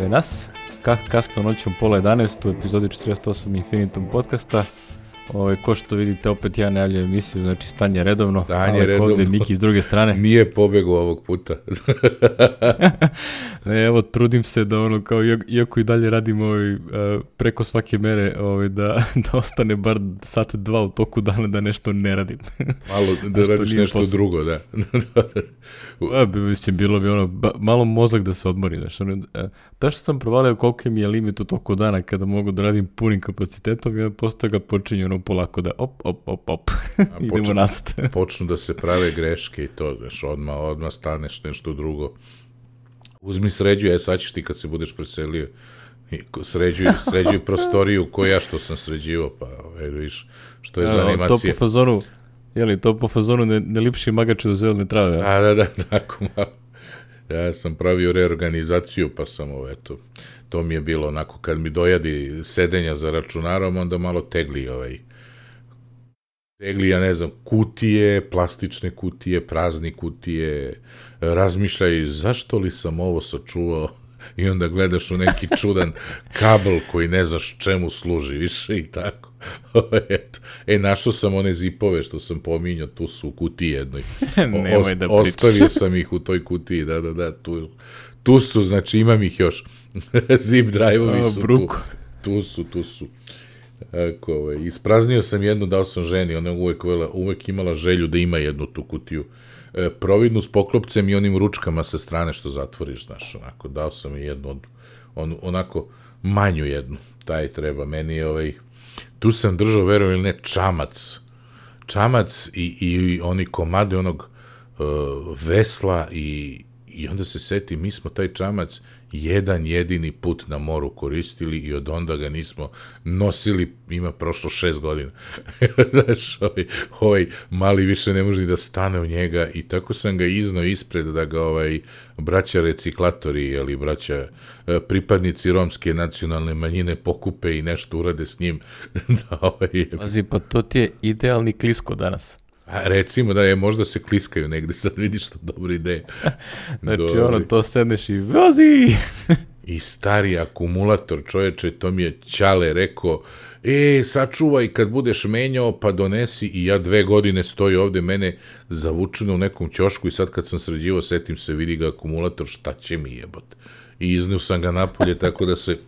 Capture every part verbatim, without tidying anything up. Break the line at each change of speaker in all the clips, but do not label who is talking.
je nas, Ka- kasno noćom pola jedanaest u epizodi četrdeset osam Infinitum podcasta. Ove, ko što vidite, opet ja najavljujem emisiju, znači stanje redovno.
Stanje redovno.
Ovdje Miki s druge strane.
Nije pobegao ovog puta.
Ne, evo, trudim se da ono, kao, iako i dalje radim ovaj, uh, preko svake mere, ovaj, da, da ostane bar sat dva u toku dana da nešto ne radim.
Malo da radiš nešto posle. Drugo, da.
A, bi, mislim, bilo bi ono, ba, malo mozak da se odmori. Znači, ono, da što sam provalio koliko mi je limit u toku dana kada mogu da radim punim kapacitetom i onda postoje ga počinju ono polako da op, op, op, op. Idemo počnu, nasad.
Počnu da se prave greške i to, znaš, odmah, odmah staneš nešto drugo. Uzmi sređuj, e sad ćeš ti kad se budeš preselio, sređuj, sređuj prostoriju koju ja što sam sređivao, pa evo viš, što je ja, za animacije.
To po fazonu, jeli, to po fazonu ne, ne lipši magače do zelene trave, ja?
A, da, da, tako malo. Ja sam pravio reorganizaciju, pa sam ovo, eto, to mi je bilo onako, kad mi dojadi sedenja za računarom, onda malo tegli ovaj, tegli, ja ne znam, kutije, plastične kutije, prazni kutije, razmišljaj, zašto li sam ovo sačuvao? I onda gledaš u neki čudan kabel koji ne znaš čemu služi, više i tako. Eto. E, našao sam one zipove što sam pominjao, tu su u kutiji jednoj.
Nemoj Ost, da
ostavio sam ih u toj kutiji, da, da, da, tu, tu su, znači imam ih još. Zip drive-ovi su tu. Tu su, tu su. Tako, ovaj, ispraznio sam jednu, dao sam ženi, ona je uvek, uvek imala želju da ima jednu tu kutiju. E, providnu s poklopcem i onim ručkama sa strane što zatvoriš, znaš, onako, dao sam je jednu, on, onako, manju jednu, taj treba, meni je ovaj, tu sam držao, verujem ili ne, čamac, čamac i, i oni komade onog uh, vesla i, i onda se seti, mi smo taj čamac jedan jedini put na moru koristili i od onda ga nismo nosili, ima prošlo šest godina. Znaš, ovaj, ovaj mali više ne može ni da stane u njega i tako sam ga iznao ispred da ga ovaj braća reciklatori ili braća pripadnici romske nacionalne manjine pokupe i nešto urade s njim. Da, ovaj,
Pazi, pa to ti je idealni klisko danas.
A recimo da je, možda se kliskaju negde, sad vidiš što dobra ideja.
Znači Dobri. Ono, to sedneš i vozi!
I stari akumulator, čoveče, to mi je Ćale rekao, e, sačuvaj kad budeš menjao, pa donesi, i ja dve godine stoji ovde, mene zavučeno u nekom ćošku i sad kad sam sređivao, setim se, vidi ga akumulator, šta će mi jebot. I iznio sam ga napolje, tako da se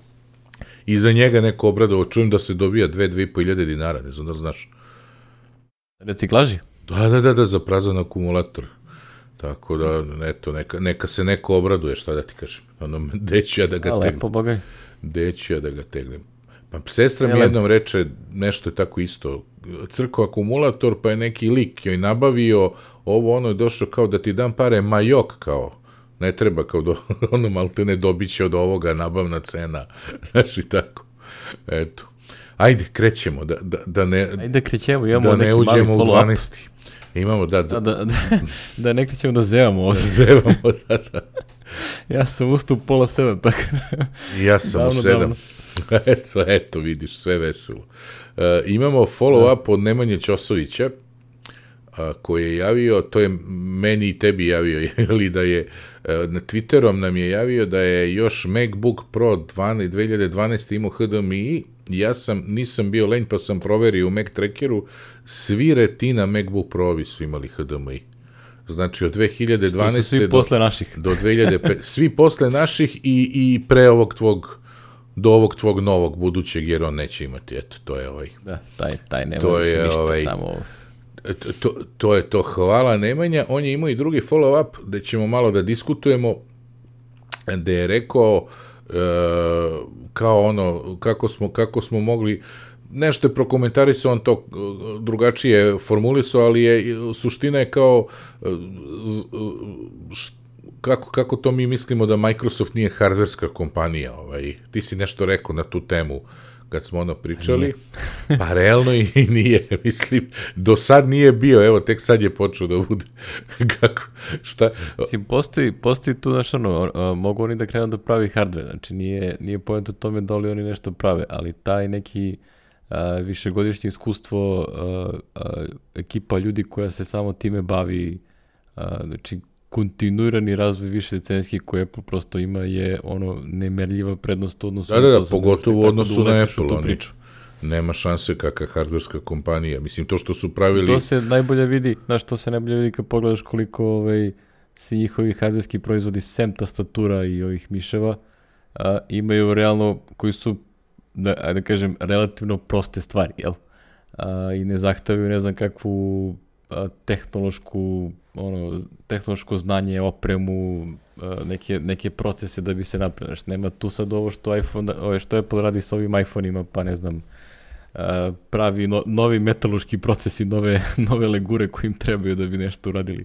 iza njega neko obradovao, čujem da se dobija dve, dve i po hiljade dinara, ne znam da znaš.
Reciklaži?
Da, da, da, da, za prazan akumulator. Tako da, eto, neka, neka se neko obraduje, šta da ti kažem. Ono, deću ja da ga tegnem.
Lepo, bogaj.
Deću ja da ga tegnem. Pa sestra mi jednom reče, nešto je tako isto, crko akumulator, pa je neki lik joj nabavio, ovo ono je došlo kao da ti dam pare, majok kao, ne treba kao, do, ono malo te ne dobit će od ovoga nabavna cena, znaš i tako, eto. Ajde, krećemo, da, da, da ne,
Ajde, krećemo, imamo
da
neki
ne uđemo
mali
u dvanaesti. Imamo, da,
da, da, da, da ne krećemo da zevamo ovdje.
Da zevamo, da, da.
Ja sam ustao u pola sedam, tako da...
Ja sam davno, u sedam. eto, eto, vidiš, sve veselo. Uh, imamo follow-up da. Od Nemanje Ćosovića, uh, koji je javio, to je meni i tebi javio, ili da je, uh, na Twitterom nam je javio da je još MacBook Pro dve hiljade dvanaeste imao H D M I, ja sam, nisam bio lenj, pa sam proverio u Mac Trackeru, svi Retina MacBook Pro-ovi su imali H D M I. Znači, od dve hiljade dvanaeste
svi
do,
posle naših.
do dve hiljade pet, svi posle naših i, i pre ovog tvog, do ovog tvog novog budućeg, jer on neće imati, eto, to je ovaj.
Da, taj, taj nema
to
više
je,
ništa,
ovaj,
samo ovo.
To, to je to, hvala Nemanja, on je imao i drugi follow-up, da ćemo malo da diskutujemo, da je rekao, Uh, kao ono, kako smo, kako smo mogli, nešto je prokomentarisao, on to drugačije formulisao, ali je, suština je kao š, kako, kako to mi mislimo da Microsoft nije hardverska kompanija, ovaj. Ti si nešto rekao na tu temu kad smo ono pričali, pa realno i nije, mislim, do sad nije bio, evo, tek sad je počeo da bude, kako, šta?
Mislim, postoji, postoji tu, znaš, ono, mogu oni da krenu da pravi hardware, znači nije, nije point u tome da li oni nešto prave, ali taj neki a, višegodišnje iskustvo, a, a, ekipa ljudi koja se samo time bavi, a, znači, kontinuirani razvoj više decenijski koji Apple prosto ima je ono nemerljiva prednost u odnosu
da, da, da,
to.
pogotovo u odnosu na Apple. Oni, nema šanse kakva hardverska kompanija. Mislim, to što su pravili...
To se najbolje vidi, znaš, to se najbolje vidi kad pogledaš koliko ovaj, svi njihovi hardverski proizvodi, sem tastatura i ovih miševa, a, imaju realno, koji su, da, da kažem, relativno proste stvari, jel? A, I ne zahtavaju, ne znam, kakvu a, tehnološku, ono, tehnološko znanje, opremu, a, neke, neke procese da bi se napravio. Nema tu sad ovo što, iPhone, ovo što Apple radi sa ovim iPhone-ima, pa ne znam, a, pravi no, novi metaloški procesi, nove, nove legure koji im trebaju da bi nešto uradili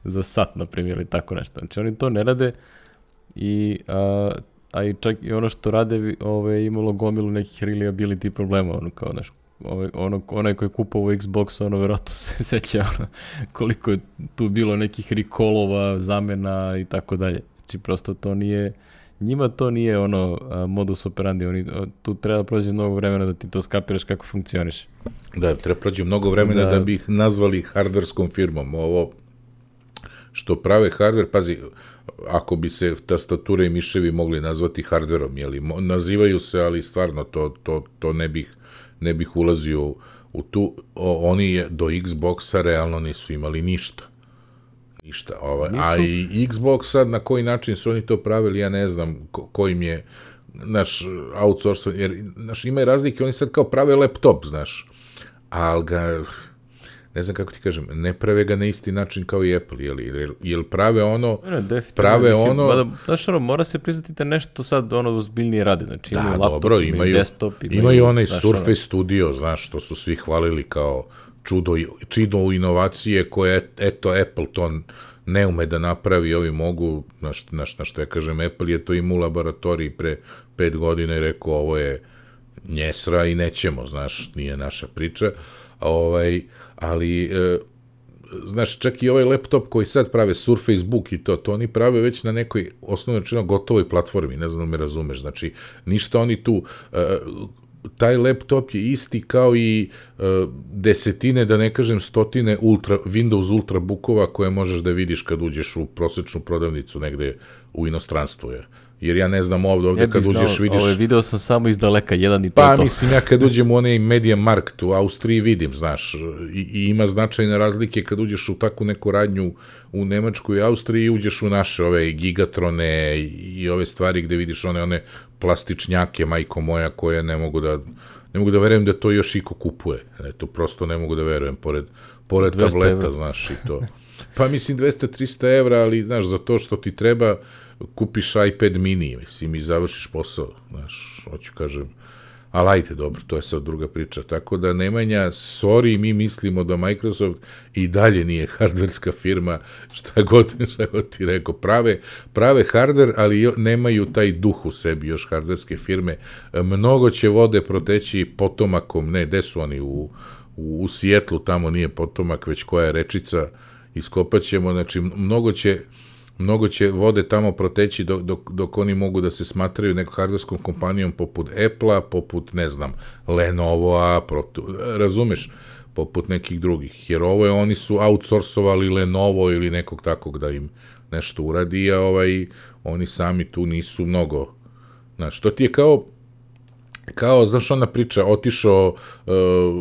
za sat, na primjer, ili tako nešto. Znači, oni to ne rade i, a, a i čak i ono što rade ove, imalo gomilu nekih reliability problema, ono kao, znaš, Ove, ono, onaj koji je kupovao Xbox, ono verovatno se seća ono, koliko je tu bilo nekih recallova, zamena i tako dalje. Znači prosto to nije, njima to nije ono a, modus operandi, oni, a, tu treba prođe mnogo vremena da ti to skapiraš kako funkcioniš.
Da, treba prođe mnogo vremena da, da bi ih nazvali hardverskom firmom. Ovo što prave hardver, pazi, ako bi se tastature i miševi mogli nazvati hardverom, jeli, nazivaju se, ali stvarno to, to, to ne bih ne bih ulazio u, u tu, o, oni je, do Xboxa realno nisu imali ništa. Ništa. Ovaj. Nisu... A i Xbox sad, na koji način su oni to pravili, ja ne znam ko, kojim je naš outsource, jer naš, ima i razlike, oni sad kao prave laptop, znaš, ali ga, ne znam kako ti kažem, ne prave ga na isti način kao i Apple, jel, jel, jel prave ono,
ne,
prave mislim, ono...
Mada, znaš, ono, mora se priznati da nešto sad ono ozbiljnije radi, znači
da,
imaju laptop,
dobro,
imaju,
imaju
desktop,
imaju, imaju onaj znaš, Surface ono... Studio, znaš, što su svi hvalili kao čudo, čido inovacije koje, eto, Apple to ne ume da napravi, ovi mogu, znaš, znaš, na što ja kažem, Apple je to imao u laboratoriji pre pet godina i rekao, ovo je njesra i nećemo, znaš, nije naša priča, ovaj, ali, e, znaš, čak i ovaj laptop koji sad prave Surface Book i to, to oni prave već na nekoj osnovno rečeno gotovoj platformi, ne znam da me razumeš, znači, ništa oni tu, e, taj laptop je isti kao i e, desetine, da ne kažem stotine ultra, Windows Ultrabookova koje možeš da vidiš kad uđeš u prosečnu prodavnicu negde u inostranstvu je. Jer ja ne znam ovde, ovde kad uđeš
znao,
vidiš...
Ovo video sam samo iz daleka, jedan i to
Pa
to.
mislim, ja kad uđem u onaj Media Markt u Austriji vidim, znaš, i, i ima značajne razlike kad uđeš u takvu neku radnju u Nemačkoj i Austriji i uđeš u naše ove gigatrone i, i ove stvari gde vidiš one, one plastičnjake, majko moja, koje ne mogu da... Ne mogu da verujem da to još iko kupuje. Ne, to prosto ne mogu da verujem, pored, pored tableta, evra. Znaš, i to. Pa mislim dvesta do trista evra, ali, znaš, za to što ti treba, kupiš iPad mini, mislim, i završiš posao, znaš, hoću kažem. Ali ajde, dobro, to je sad druga priča. Tako da, Nemanja, sorry, mi mislimo da Microsoft i dalje nije hardverska firma, šta god, šta god ti rekao. Prave, prave hardver, ali jo, nemaju taj duh u sebi još hardverske firme. Mnogo će vode proteći potomakom, ne, gde su oni, u, u, u Sijetlu, tamo nije potomak, već koja je rečica, iskopat ćemo, znači, mnogo će... Mnogo će vode tamo proteći dok, dok, dok oni mogu da se smatraju nekom hardverskom kompanijom poput Apple-a, poput, ne znam, Lenovo-a, protu, razumeš, poput nekih drugih. Jer ovo je, oni su outsourcovali Lenovo ili nekog takog da im nešto uradi, a ovaj, oni sami tu nisu mnogo. Znaš, to ti je kao, kao, znaš, ona priča, otišao uh,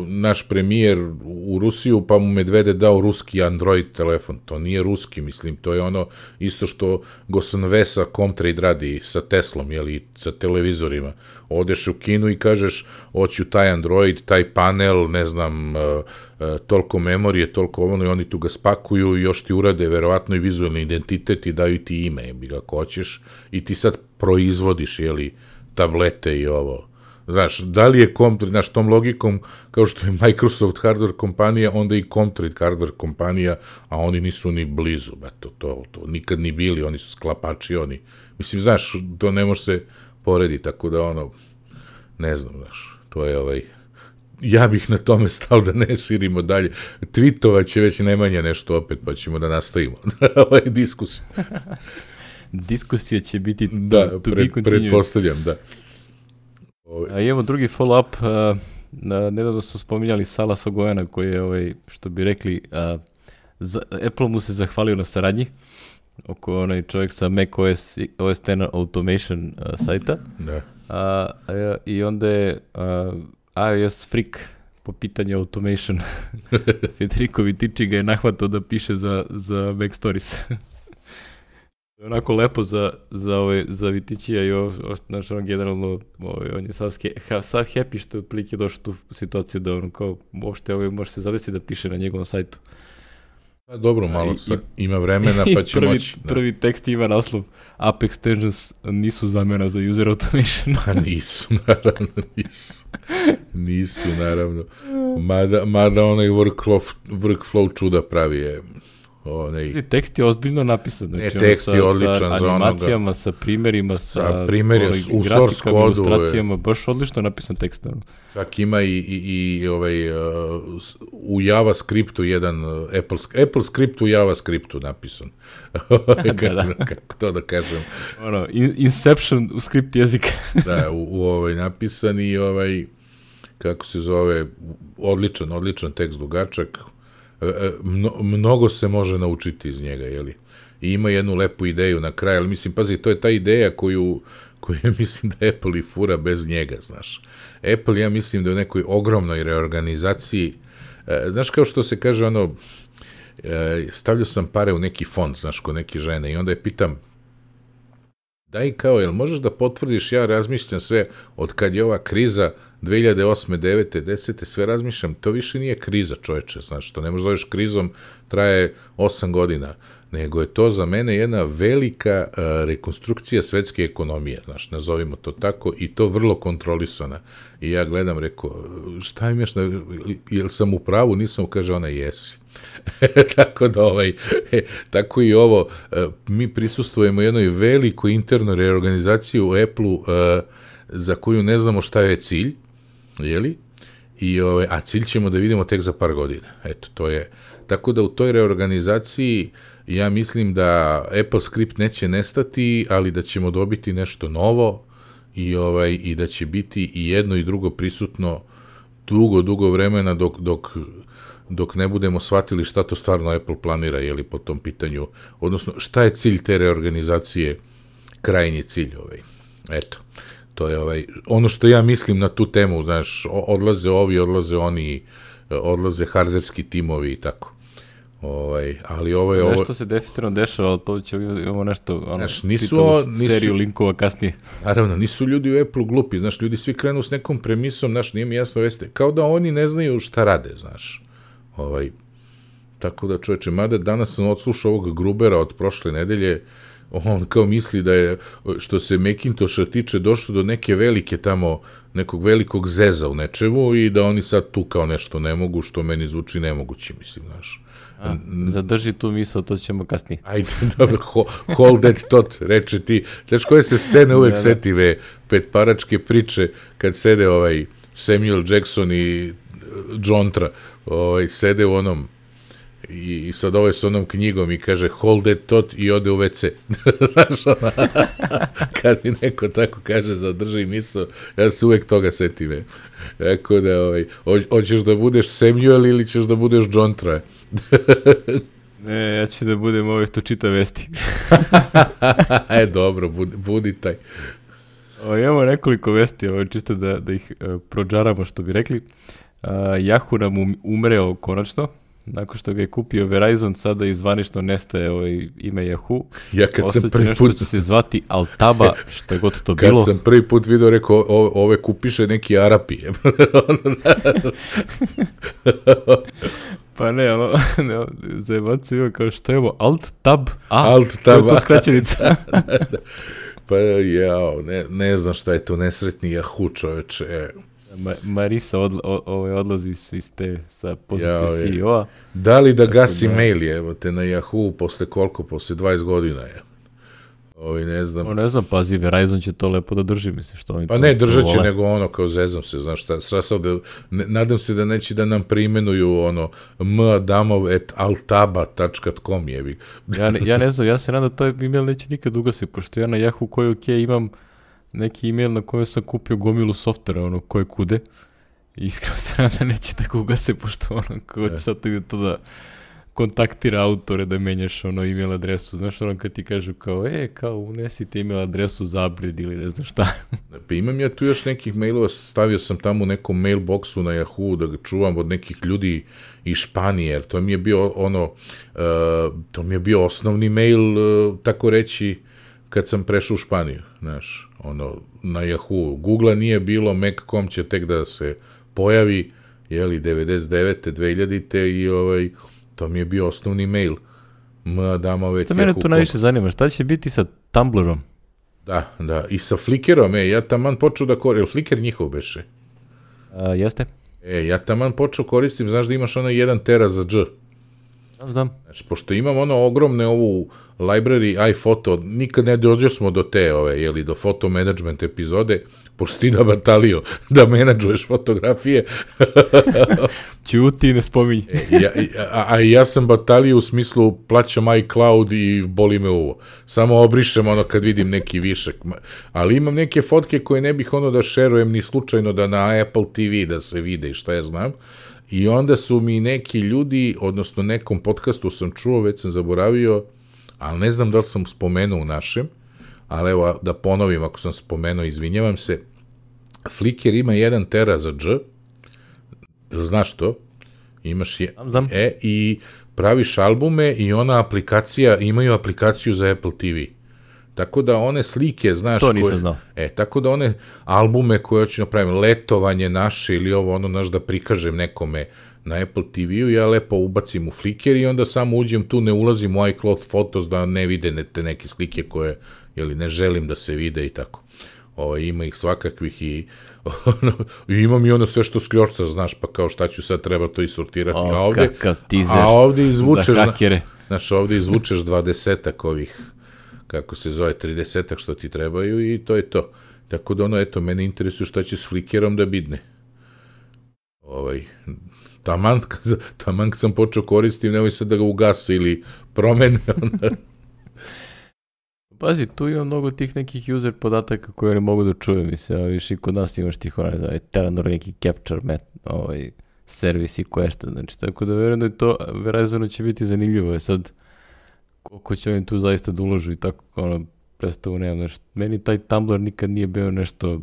naš premijer u Rusiju, pa mu Medvede dao ruski Android telefon. To nije ruski, mislim, to je ono isto što Gosan Vesa Comtrade radi sa Teslom, jeli, sa televizorima. Odeš u Kinu i kažeš, hoću taj Android, taj panel, ne znam, uh, uh, toliko memorije, toliko ono, i oni tu ga spakuju i još ti urade verovatno i vizualni identitet i daju ti ime, bi ga ako hoćeš, i ti sad proizvodiš, jeli, tablete i ovo. Znaš, da li je Comtrade, znaš, tom logikom, kao što je Microsoft hardware kompanija, onda i Comtrade hardware kompanija, a oni nisu ni blizu, ba, to, to, to, nikad ni bili, oni su sklapači, oni, mislim, znaš, to ne može se porediti, tako da, ono, ne znam, znaš, to je ovaj, ja bih na tome stao da ne širimo dalje, tweetovat će već Nemanja nešto opet, pa ćemo da nastavimo ovaj diskusiju.
Diskusija će biti to,
da,
to
pred,
be continued.
Pretpostavljam, da.
A imamo drugi follow-up, uh, nedavno smo spominjali Sala Sogojana koji je, ovaj, što bi rekli, uh, za, Apple mu se zahvalio na saradnji oko onaj čovjek sa macOS O S deset Automation uh, sajta.
Da.
A, a, I onda je a, iOS freak po pitanju automation. Federico Vitici ga je nahvatao da piše za, za Mac Stories. Onako lepo za, za, ovaj, za Viticija i ovo, znaš, on generalno, ovaj, on je sav, ha, sav happy što je otprilike došao tu situaciju da ono kao, uopšte ovaj, može se zadesiti da piše na njegovom sajtu.
A dobro, malo sad i, ima vremena pa će
prvi,
moći. Da.
Prvi tekst ima naslov App Extensions nisu zamena za user automation.
Pa nisu, naravno, nisu. Nisu, naravno. Mada, mada onaj workflow, workflow čuda pravi je. Onaj...
Tekst je ozbiljno napisan. Znači,
ne, tekst
sa,
je odličan
sa
za
animacijama,
onoga.
sa primerima, sa,
sa primerima, u source kodu.
Ilustracijama, baš odlično napisan tekst. Ne?
Čak ima i, i, i ovaj, uh, u JavaScriptu jedan, uh, Apple, Apple script u JavaScriptu napisan.
da, da.
Kako to da kažem.
Ono, in, Inception u skript jezika.
da, u, u ovaj napisan i ovaj, kako se zove, odličan, odličan tekst, dugačak. Mno, mnogo se može naučiti iz njega, jeli? I ima jednu lepu ideju na kraju, ali mislim, pazi, to je ta ideja koju, koju mislim da Apple i fura bez njega, znaš. Apple, ja mislim da je u nekoj ogromnoj reorganizaciji, znaš, kao što se kaže, ono, stavljao sam pare u neki fond, znaš, kod neke žene, i onda je pitam, daj kao, jel možeš da potvrdiš, ja razmišljam sve, od kad je ova kriza dve hiljade osme, devete, desete, sve razmišljam, to više nije kriza, čoveče, znaš, to ne možeš zoveš krizom, traje osam godina, nego je to za mene jedna velika uh, rekonstrukcija svetske ekonomije, znaš, nazovimo to tako, i to vrlo kontrolisana. I ja gledam, rekao, šta im još, jel sam u pravu, nisam, kaže ona, jesi. tako da ovaj, e, tako i ovo, e, mi prisustvujemo jednoj velikoj internoj reorganizaciji u Apple-u e, za koju ne znamo šta je cilj, jeli? I, ovaj, a cilj ćemo da vidimo tek za par godina. Eto, to je, tako da u toj reorganizaciji ja mislim da Apple script neće nestati, ali da ćemo dobiti nešto novo i, ovaj, i da će biti i jedno i drugo prisutno dugo, dugo vremena dok, dok dok ne budemo shvatili šta to stvarno Apple planira, jeli, po tom pitanju, odnosno šta je cilj te reorganizacije, krajnji cilj, ovaj. Eto, to je ovaj, ono što ja mislim na tu temu, znaš, odlaze ovi, odlaze oni, odlaze hardverski timovi i tako. Ovaj, ali ovo je...
Nešto
ovo...
se definitivno dešava, ali to će imamo nešto, ono,
znaš, nisu, o, nisu,
seriju linkova kasnije.
Naravno, nisu ljudi u Apple glupi, znaš, ljudi svi krenu s nekom premisom, znaš, nije mi jasno veste, kao da oni ne znaju šta rade, znaš. Ovaj, tako da, čoveče, mada danas sam odslušao ovog Grubera od prošle nedelje, on kao misli da je, što se Macintosha tiče, došlo do neke velike tamo, nekog velikog zeza u nečemu i da oni sad tu kao nešto ne mogu, što meni zvuči nemoguće, mislim, znaš.
A, zadrži tu misao, to ćemo kasnije.
Ajde, dobro, hold that thought, reče ti. Znaš, koje se scene uvek setive, petparačke priče, kad sede ovaj Samuel Jackson i Jontra, ovaj, sede u onom i, i sad ovaj s onom knjigom i kaže hold that thought i ode u ve ce. Znaš, ona, kad mi neko tako kaže zadrži misao, ja se uvek toga setim. Tako da, ovaj, hoćeš da budeš Samuel ili ćeš da budeš Jontra?
Ne, ja ću da budem ovaj što čita vesti.
E, dobro, budi, budi taj.
O, imamo nekoliko vesti, ovo, čisto da, da ih uh, prođaramo, što bi rekli. Uh, Yahoo nam um, umreo konačno, nakon što ga je kupio Verizon, sada izvanično nestaje ovaj ime Yahoo.
Ja kad
Ostaće
sam prvi
nešto
put...
će se zvati Altaba, što je god to
kad
bilo.
Kad sam prvi put vidio, rekao, o, ove kupiše neki Arapi.
Pa ne, ono, ne, zajebac je kao što je ovo, Alt-Tab, a,
Alt-Tab,
to je to skraćenica.
Pa jao, ne, ne znam šta je to nesretni Yahoo, čoveče.
Ma, Marisa odla, o, o, odlazi iz te sa pozicije
jao,
C E O-a.
Da li da gasi da... mail je, evo te na Yahoo, posle koliko, posle dvadeset godina je. Ovi, ne znam.
O, ne znam, pazi, Verizon će to lepo da drži, misli, što oni
pa
to...
ne, držat će, nego ono, kao zezam se, znaš šta, šta sad, ne, nadam se da neće da nam preimenuju, ono, madamov at altaba tačka com jebi.
ja, ne, ja ne znam, ja se nadam da to email neće nikad ugasiti, pošto ja na Yahoo koji ok imam neki email na kojem sam kupio gomilu softvera, ono, koje kude, i iskreno se nadam da neće tako ugase, pošto ono, ko će sad to da kontaktira autore da menjaš ono email adresu. Znaš ono kad ti kažu kao, e, kao unesite email adresu za upgrade ili ne znam šta.
Pa imam ja tu još nekih mailova, stavio sam tamo u nekom mailboxu na Yahoo da ga čuvam od nekih ljudi iz Španije, jer to mi je bio ono, uh, to mi je bio osnovni mail, uh, tako reći, kad sam prešao u Španiju, znaš, ono, na Yahoo. Google-a nije bilo, Mac punto com će tek da se pojavi, jeli, devedeset devete, dvehiljadite i ovaj, to mi je bio osnovni mail. Ma, dama već...
Što mene tu najviše zanima, šta će biti sa Tumblerom?
Da, da, i sa Flickerom, e, ja taman počeo da koristim, je Flickr njihov beše?
A, jeste.
E, ja taman počeo koristim, znaš da imaš ono jedan tera za dž.
Znam, znam.
Znači, pošto imam ono ogromne ovu library iPhoto, nikad ne dođe smo do te, ove, jeli, do photo management epizode, pošto ti da batalio da menadžuješ fotografije.
Ćuti, ne spominj.
e, ja, a, a ja sam batalio u smislu plaćam iCloud i boli me uvo. Samo obrišem ono kad vidim neki višak. Ali imam neke fotke koje ne bih ono da šerujem ni slučajno da na Apple te ve da se vide i šta ja znam. I onda su mi neki ljudi, odnosno nekom podcastu sam čuo, već sam zaboravio, ali ne znam da li sam spomenuo u našem, ali evo da ponovim ako sam spomenuo, izvinjavam se, Flickr ima jedan tera za dž, znaš to? Imaš je,
znam.
E, i praviš albume i ona aplikacija, imaju aplikaciju za Apple te ve. Tako da one slike, znaš...
To nisam znao.
E, tako da one albume koje hoću napravim, letovanje naše ili ovo, ono, znaš, da prikažem nekome na Apple te ve-u, ja lepo ubacim u Flickr i onda samo uđem tu, ne ulazim u iCloud Photos da ne vide ne, te neke slike koje, jeli, ne želim da se vide i tako. O, ima ih svakakvih i, ono, i imam i ono sve što skljočca, znaš, pa kao šta ću sad, treba to i sortirati.
O,
a ovde,
kakav teaser
a ovde izvučeš,
za hakere.
Znaš, ovde izvučeš dvadesetak ovih, kako se zove, tridesetak što ti trebaju i to je to. Tako da ono, eto, mene interesuje šta će s Flickerom da bidne. Ovaj, taman, taman kad sam počeo koristim, nemoj sad da ga ugase ili promene.
Pazi, tu ima mnogo tih nekih user podataka koje ne mogu da čuju, mislim, a više i kod nas imaš tih onaj, ovaj, Telenor neki capture met, ovaj, servis i question, znači, tako da verujem da je to, verovatno će biti zanimljivo, je sad, koliko će oni tu zaista da uložu i tako, ono, predstavu nemam, znači, meni taj Tumblr nikad nije bio nešto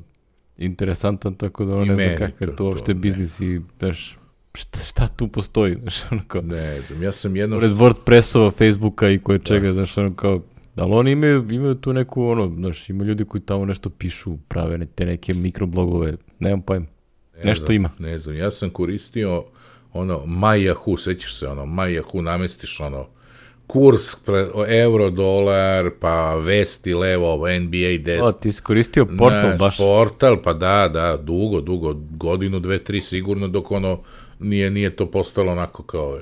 interesantan, tako da ono ne znam kakav to uopšte biznis i, znaš, šta, šta tu postoji, znaš, ono kao...
Ne znam, ja sam jedno...
Pored WordPressova, Facebooka i koje čega, znaš, ono kao... Ali oni imaju, imaju tu neku, ono, znaš, ima ljudi koji tamo nešto pišu, prave te neke mikroblogove, nemam pojma, ne nešto
znam,
ima.
Ne znam, ja sam koristio, ono, MyYahoo, sećaš se, ono, MyYahoo, namestiš, ono, kurs, pre, euro, dolar, pa vesti, levo, N B A deset.
O, ti si koristio portal
Naš,
baš.
Portal, pa da, da, dugo, dugo, godinu, dve, tri, sigurno, dok ono, nije, nije to postalo onako kao...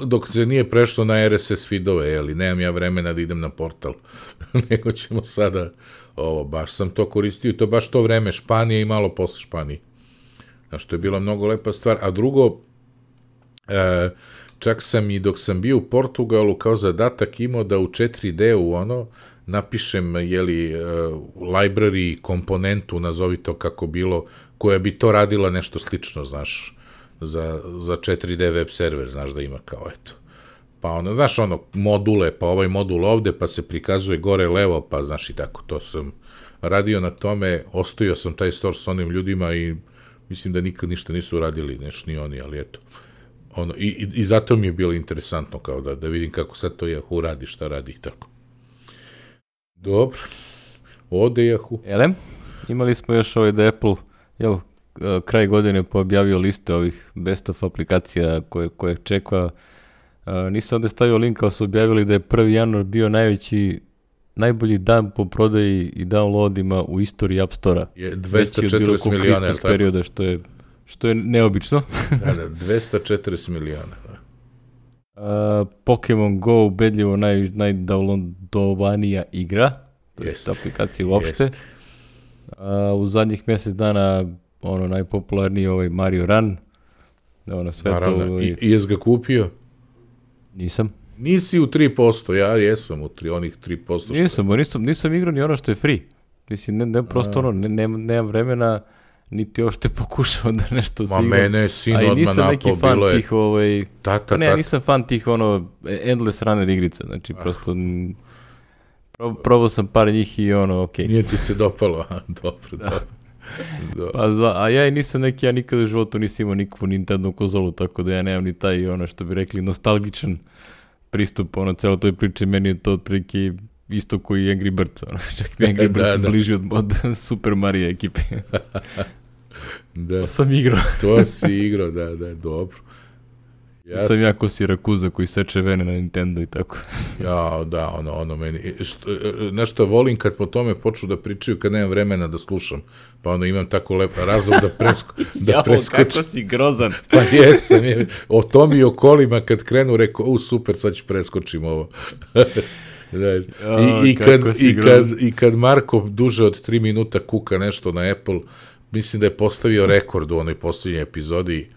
Dok se nije prešlo na R S S feedove, jeli, nemam ja vremena da idem na portal, nego ćemo sada, ovo, baš sam to koristio i to baš to vreme, Španije i malo posle Španije. Znaš, to je bila mnogo lepa stvar, a drugo, e, čak sam i dok sam bio u Portugalu kao zadatak imao da u četiri D-u, ono, napišem, jeli, library komponentu, nazovi to kako bilo, koja bi to radila nešto slično, znaš, za, za četiri D web server, znaš da ima kao, eto. Pa ono, znaš, ono, module, pa ovaj modul ovde, pa se prikazuje gore levo, pa znaš i tako, to sam radio na tome, ostavio sam taj source s onim ljudima i mislim da nikad ništa nisu radili, neš ni oni, ali eto. Ono, i, i, i zato mi je bilo interesantno kao da, da vidim kako sad to Yahoo radi, šta radi i tako. Dobro, ode Yahoo.
Elem, imali smo još ovaj da Apple, jel, kraj godine poobjavio liste ovih best of aplikacija koje, koje čeka. Uh, nisam ovdje stavio link, ali su objavili da je prvi januar bio najveći, najbolji dan po prodaji i downloadima u istoriji App Store-a.
Je dvesta četrdeset miliona, je tako?
Perioda, što je, što je neobično.
Da, da, dvesta četrdeset miliona. Da.
Uh, Pokemon Go, ubedljivo naj, najdownloadovanija igra, to je aplikacija uopšte. Uh, u zadnjih mjesec dana ono najpopularniji ovaj Mario Run. Ono sve
Naravno,
to...
i, i jes ga kupio?
Nisam.
Nisi u tri posto, ja jesam u tri, onih tri posto.
Nisam, bo nisam, nisam igrao ni ono što je free. Mislim, ne, ne prosto ono, ne, ne, nemam vremena, niti uopšte pokušao da nešto
Ma mene je sin odmah napao, bilo je...
A i nisam neki fan
je...
tih, ovaj...
Tata,
ne,
tata.
nisam fan tih, ono, endless runner igrica, znači, ah. prosto... Pro, probao sam par njih i ono, okej. Okay.
Nije ti se dopalo, a, dobro,
da.
dobro. Da.
Pa zva, a ja i nisam neki, ja nikada u životu nisam imao nikakvu Nintendo konzolu, tako da ja nemam ni taj, ono što bi rekli, nostalgičan pristup, ono, celo toj priči, meni je to otprilike isto koji Angry Birds, ono, čak mi Angry Birds da, da. bliži od, od Super Mario ekipe.
Da.
To sam igrao.
To si igrao, da, da, dobro.
Ja sam ja ko Sirakuza koji seče vene na Nintendo i tako.
Ja, da, ono, ono meni. Što, nešto volim kad po tome počnu da pričaju kad nemam vremena da slušam. Pa onda imam tako lep razlog da, presko, da
ja,
preskočim.
Kako si grozan.
Pa jesam. Je, o tom i o kolima kad krenu rekao, u super, sad ću preskočim ovo. Da, i, i, kad, i, kad, I kad Marko duže od tri minuta kuka nešto na Apple, mislim da je postavio rekord u onoj posljednjoj epizodi.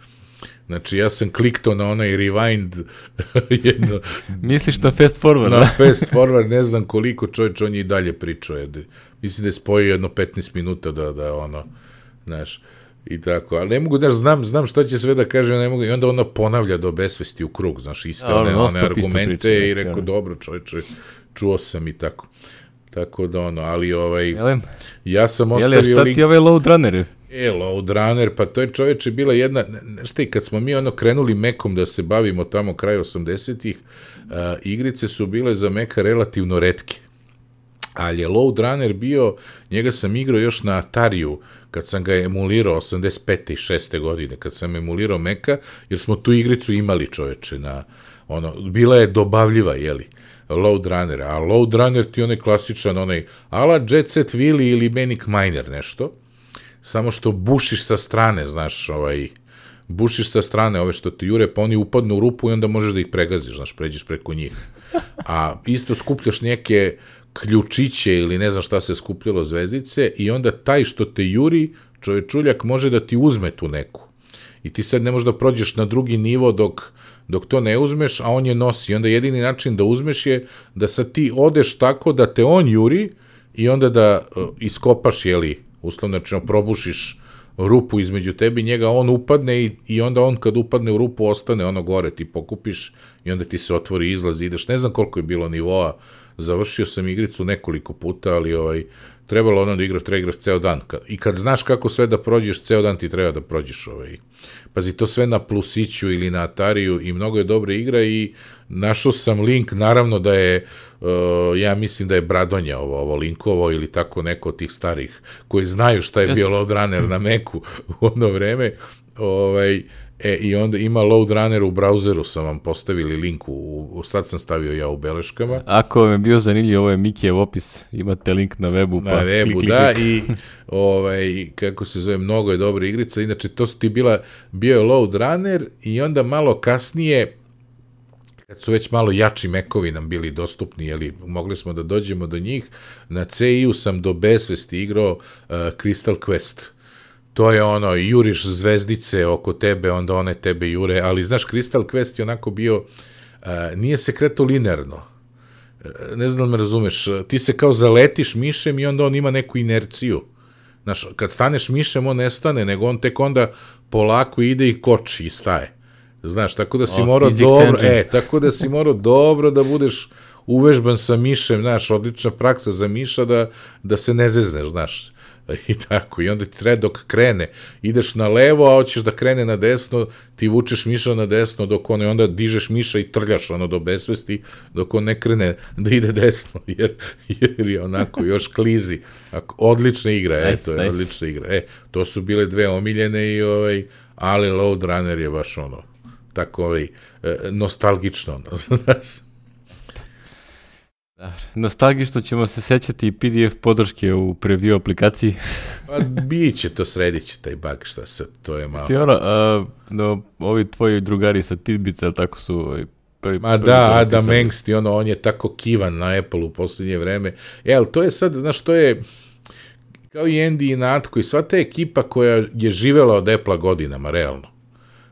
Znači, ja sam kliktao na onaj rewind jedno...
Misliš na fast forward,
na
da?
fast forward, ne znam koliko čovječ, on je i dalje pričao. Mislim da je spojio jedno petnaest minuta da, da ono, znaš, i tako. Ali ne mogu, znaš, znam, znam šta će sve da kaže, ne mogu, i onda ona ponavlja do besvesti u krug, znaš, iste one, ja, one argumente priča, i rekao, dobro čovječe, čuo sam i tako. Tako da ono, ali ovaj...
Jelem?
Ja sam ostavio...
Jel, šta ti ovaj load runner?
E, load runner, pa to je čovječe bila jedna... Šta i kad smo mi ono krenuli Mekom da se bavimo tamo kraj osamdesetih, uh, igrice su bile za Meka relativno retke. Ali je load runner bio, njega sam igrao još na Atariju, kad sam ga emulirao osamdeset pete i šeste godine, kad sam emulirao Meka, jer smo tu igricu imali čovječe na... Ono, bila je dobavljiva, jeli? Load runner, a load runner ti onaj klasičan, onaj ala Jet Set Willy ili Manic Miner nešto, samo što bušiš sa strane, znaš, ovaj, bušiš sa strane ove što ti jure, pa oni upadnu u rupu i onda možeš da ih pregaziš, znaš, pređeš preko njih. A isto skupljaš neke ključiće ili ne znam šta se skupljalo zvezdice i onda taj što te juri, čovečuljak može da ti uzme tu neku. I ti sad ne možeš da prođeš na drugi nivo dok dok to ne uzmeš, a on je nosi. I onda jedini način da uzmeš je da sad ti odeš tako da te on juri i onda da uh, iskopaš, jeli, uslovno rečeno, probušiš rupu između tebi, njega on upadne i, i onda on kad upadne u rupu ostane ono gore, ti pokupiš i onda ti se otvori izlaz i ideš. Ne znam koliko je bilo nivoa, završio sam igricu nekoliko puta, ali ovaj, trebalo ono da igraš, treba igraš ceo dan. I kad znaš kako sve da prođeš, ceo dan ti treba da prođeš ovaj. Pazi, to sve na Plusiću ili na Atariju i mnogo je dobra igra i našao sam link, naravno da je, uh, ja mislim da je Bradonja ovo, ovo linkovo ili tako neko od tih starih koji znaju šta je Jeste. bio load runner na Meku u ono vreme, ovaj, e, i onda ima load runner u brauzeru, sam vam postavili link, u, u, sad sam stavio ja u beleškama.
Ako vam je bio zanimljiv, ovo je Mikijev opis, imate link na webu, pa
na webu,
klik, klik,
da,
klik.
I ovaj, kako se zove, mnogo je dobra igrica, inače to su ti bila, bio je load runner i onda malo kasnije, kad su već malo jači mekovi nam bili dostupni, jeli, mogli smo da dođemo do njih, na C I-u sam do besvesti igrao uh, Crystal Quest. To je ono, juriš zvezdice oko tebe, onda one tebe jure, ali znaš, Crystal Quest je onako bio, uh, nije se kretao linearno. Uh, ne znam da me razumeš, ti se kao zaletiš mišem i onda on ima neku inerciju. Znaš, kad staneš mišem, on ne stane, nego on tek onda polako ide i koči i staje. Znaš, tako da si oh, morao dobro, engine. e, tako da si morao dobro da budeš uvežban sa mišem, znaš, odlična praksa za miša da, da se ne zezneš, znaš. I tako, i onda ti treba dok krene, ideš na levo, a hoćeš da krene na desno, ti vučeš miša na desno, dok on, onda dižeš miša i trljaš ono do besvesti, dok on ne krene da ide desno, jer, jer je onako još klizi. Odlična igra, nice, eto, nice. odlična igra. E, to su bile dve omiljene i ovaj, ali Load Runner je baš ono, tako ovaj, nostalgično, ono, znaš.
Nostalgično ćemo se sećati i P D F podrške u preview aplikaciji.
Pa bit će to, sredit će taj bug, šta se, to je malo.
Si ono, a, no, ovi tvoji drugari sa Tidbits, ali tako su... Ovaj, prvi,
Ma prvi da, Adam Engst, ono, on je tako kivan na Apple u posljednje vreme. E, ali to je sad, znaš, to je kao i Andy i Natko i sva ta ekipa koja je živela od Apple-a godinama, realno.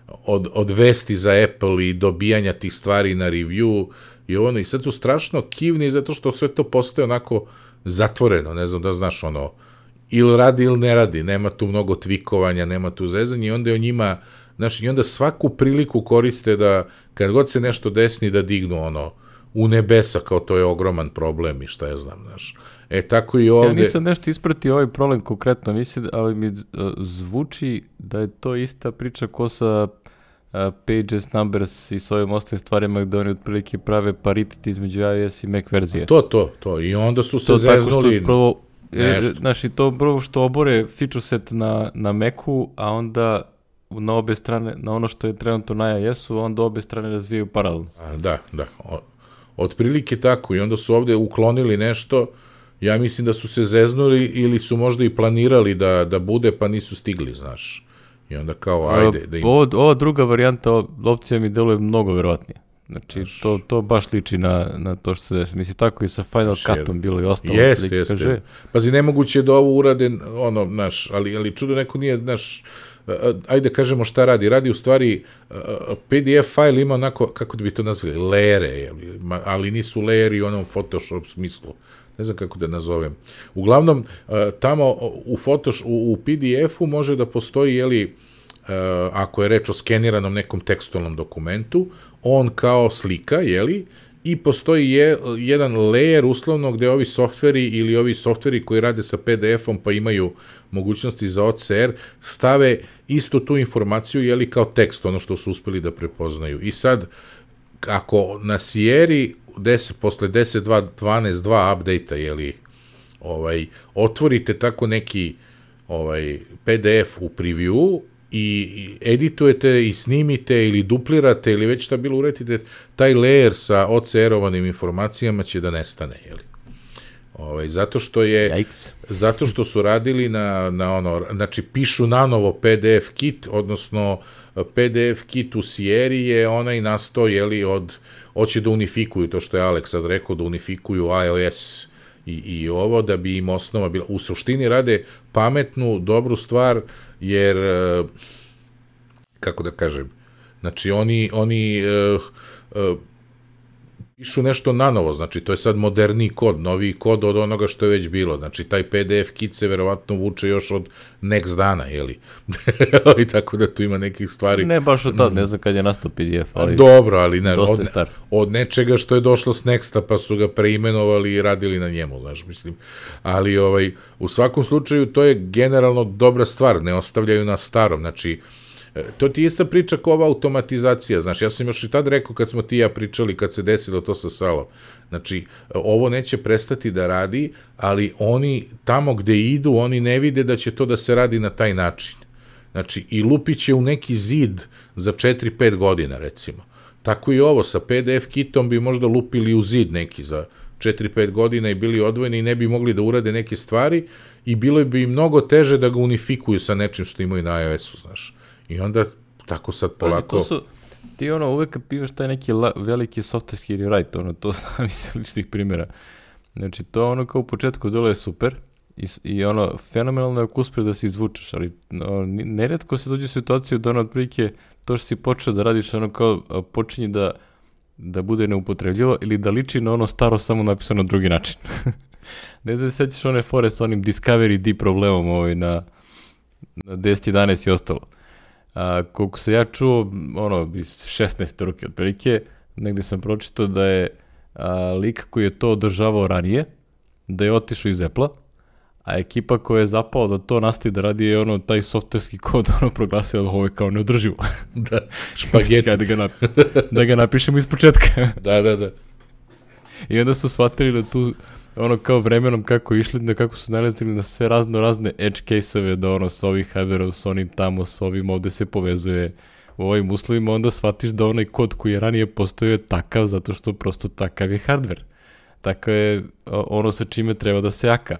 Od, od vesti za Apple i dobijanja tih stvari na review i ono, i sad su strašno kivni zato što sve to postaje onako zatvoreno, ne znam da znaš, ono, ili radi ili ne radi, nema tu mnogo tvikovanja, nema tu zezanja i onda je o njima, znaš, i onda svaku priliku koriste da, kad god se nešto desni, da dignu ono, u nebesa, kao to je ogroman problem i šta ja znam, znaš. E, tako i ovde...
Ja nisam nešto ispratio ovaj problem konkretno, mislim, ali mi zvuči da je to ista priča ko sa uh, Pages, Numbers i s ovim ostalim stvarima gde oni otprilike prave paritet između iOS i Mac verzije.
To, to, to. I onda su se to zeznuli...
To prvo, je, znaš, i to prvo što obore feature set na, na Macu, a onda na obe strane, na ono što je trenutno na iOS-u, onda obe strane razvijaju paralelno.
A, da, da. O, otprilike tako. I onda su ovde uklonili nešto. Ja mislim da su se zeznuli ili su možda i planirali da, da bude, pa nisu stigli, znaš. I onda kao, ajde. Da im...
Ovo, ova druga varijanta, opcija mi deluje mnogo verovatnije. Znači, znaš, to, to baš liči na, na to što se desi. Mislim, tako i sa Final Cutom bilo i ostalo.
Jeste, jeste. Kaže... Pazi, nemoguće da ovo urade, ono, znaš, ali, ali čudo neko nije, znaš, ajde kažemo šta radi. Radi u stvari, P D F fajl ima onako, kako bi to nazvali, lejere, ali nisu lejeri u onom Photoshop smislu. Ne znam kako da nazovem. Uglavnom, tamo u, Photoshop, u, u P D F-u može da postoji, jeli, ako je reč o skeniranom nekom tekstualnom dokumentu, on kao slika, jeli, i postoji je, jedan layer uslovno gde ovi softveri ili ovi softveri koji rade sa P D F-om pa imaju mogućnosti za O C R, stave isto tu informaciju, jeli, kao tekst, ono što su uspeli da prepoznaju. I sad, ako na Sierra deset, posle deset dvanaest dva update-a, jeli, ovaj, otvorite tako neki ovaj, P D F u preview i editujete i snimite ili duplirate ili već šta bilo uredite, taj layer sa O C R-ovanim informacijama će da nestane, jeli. Ovaj, zato što je Yikes. Zato što su radili na, na ono, znači pišu nanovo P D F kit, odnosno P D F kit u Sierra je onaj nastao, jeli, od, hoće da unifikuju, to što je Alex sad rekao, da unifikuju iOS i, i ovo, da bi im osnova bila, u suštini rade pametnu, dobru stvar, jer, kako da kažem, znači oni, oni uh, uh, pišu nešto nanovo, znači to je sad moderniji kod, noviji kod od onoga što je već bilo, znači taj P D F kit se verovatno vuče još od next dana, jeli? I tako da tu ima nekih stvari.
Ne baš od tad, ne znam kad je nastao P D F, ali
dobro, ali ne,
dosta
od,
je star.
Od nečega što je došlo s Nexta, pa su ga preimenovali i radili na njemu, znaš, mislim. Ali ovaj, u svakom slučaju to je generalno dobra stvar, ne ostavljaju na starom, znači to ti je ista priča kao ova automatizacija, znaš, ja sam još i tad rekao kad smo ti i ja pričali, kad se desilo to sa Salom, znači, ovo neće prestati da radi, ali oni, tamo gde idu, oni ne vide da će to da se radi na taj način. Znači, i lupit će u neki zid za četiri pet godina, recimo. Tako i ovo, sa P D F kitom bi možda lupili u zid neki za četiri pet godina i bili odvojeni i ne bi mogli da urade neke stvari i bilo bi mnogo teže da ga unifikuju sa nečim što imaju na iOS-u, znaš. I onda tako sad polako...
Pazi, to su, ti ono uvek kad pivaš taj neki la, veliki software rewrite, ono, to znam iz ličnih primjera. Znači, to ono kao u početku dole je super i, i ono, fenomenalno je ako uspeš da se izvučeš, ali no, neretko se dođe u situaciju da ono, otprilike, to što si počeo da radiš, ono kao počinje da, da bude neupotrebljivo ili da liči na ono staro samo napisano na drugi način. Ne znam, sećaš one fore sa onim Discovery D problemom ovaj, na, na deset jedanaest i ostalo. A, koliko se ja čuo, ono, iz šesnaeste ruke otprilike, negde sam pročitao da je a, lik koji je to održavao ranije, da je otišao iz Apple-a, a ekipa koja je zapala da to nastavi da radi je ono, taj softverski kod ono proglasio da ovo je kao neodrživo.
Da, špageti.
da, ga napi- da ga napišemo iz početka.
Da, da, da.
I onda su shvatili da tu ono kao vremenom kako išli, da kako su nalazili na sve razno razne edge case-ove, da ono sa ovih hardware-ov, s onim tamo, s ovim ovde se povezuje u ovim uslovima, onda shvatiš da onaj kod koji je ranije postojao je takav, zato što prosto takav je hardware. Tako je ono sa čime treba da se jaka.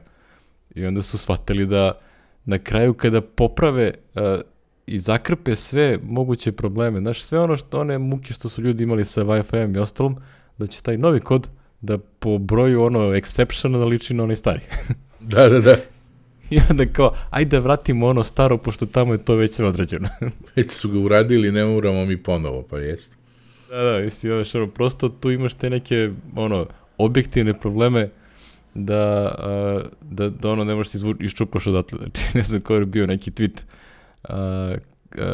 I onda su shvatili da na kraju kada poprave uh, i zakrpe sve moguće probleme, znaš, sve ono što one muke što su ljudi imali sa Wi-Fi-em i ostalom, da će taj novi kod da po broju ono exceptiona da liči na onaj stari.
Da, da, da.
I onda kao, ajde da vratimo ono staro, pošto tamo je to već sve odrađeno.
Već su ga uradili, ne moramo mi ponovo, pa jest.
Da, da, mislim, ono, prosto tu imaš te neke, ono, objektivne probleme da, uh, da, da ono ne možeš ti izvu, iščupaš odatle. Znači, ne znam ko je bio neki tweet. Uh,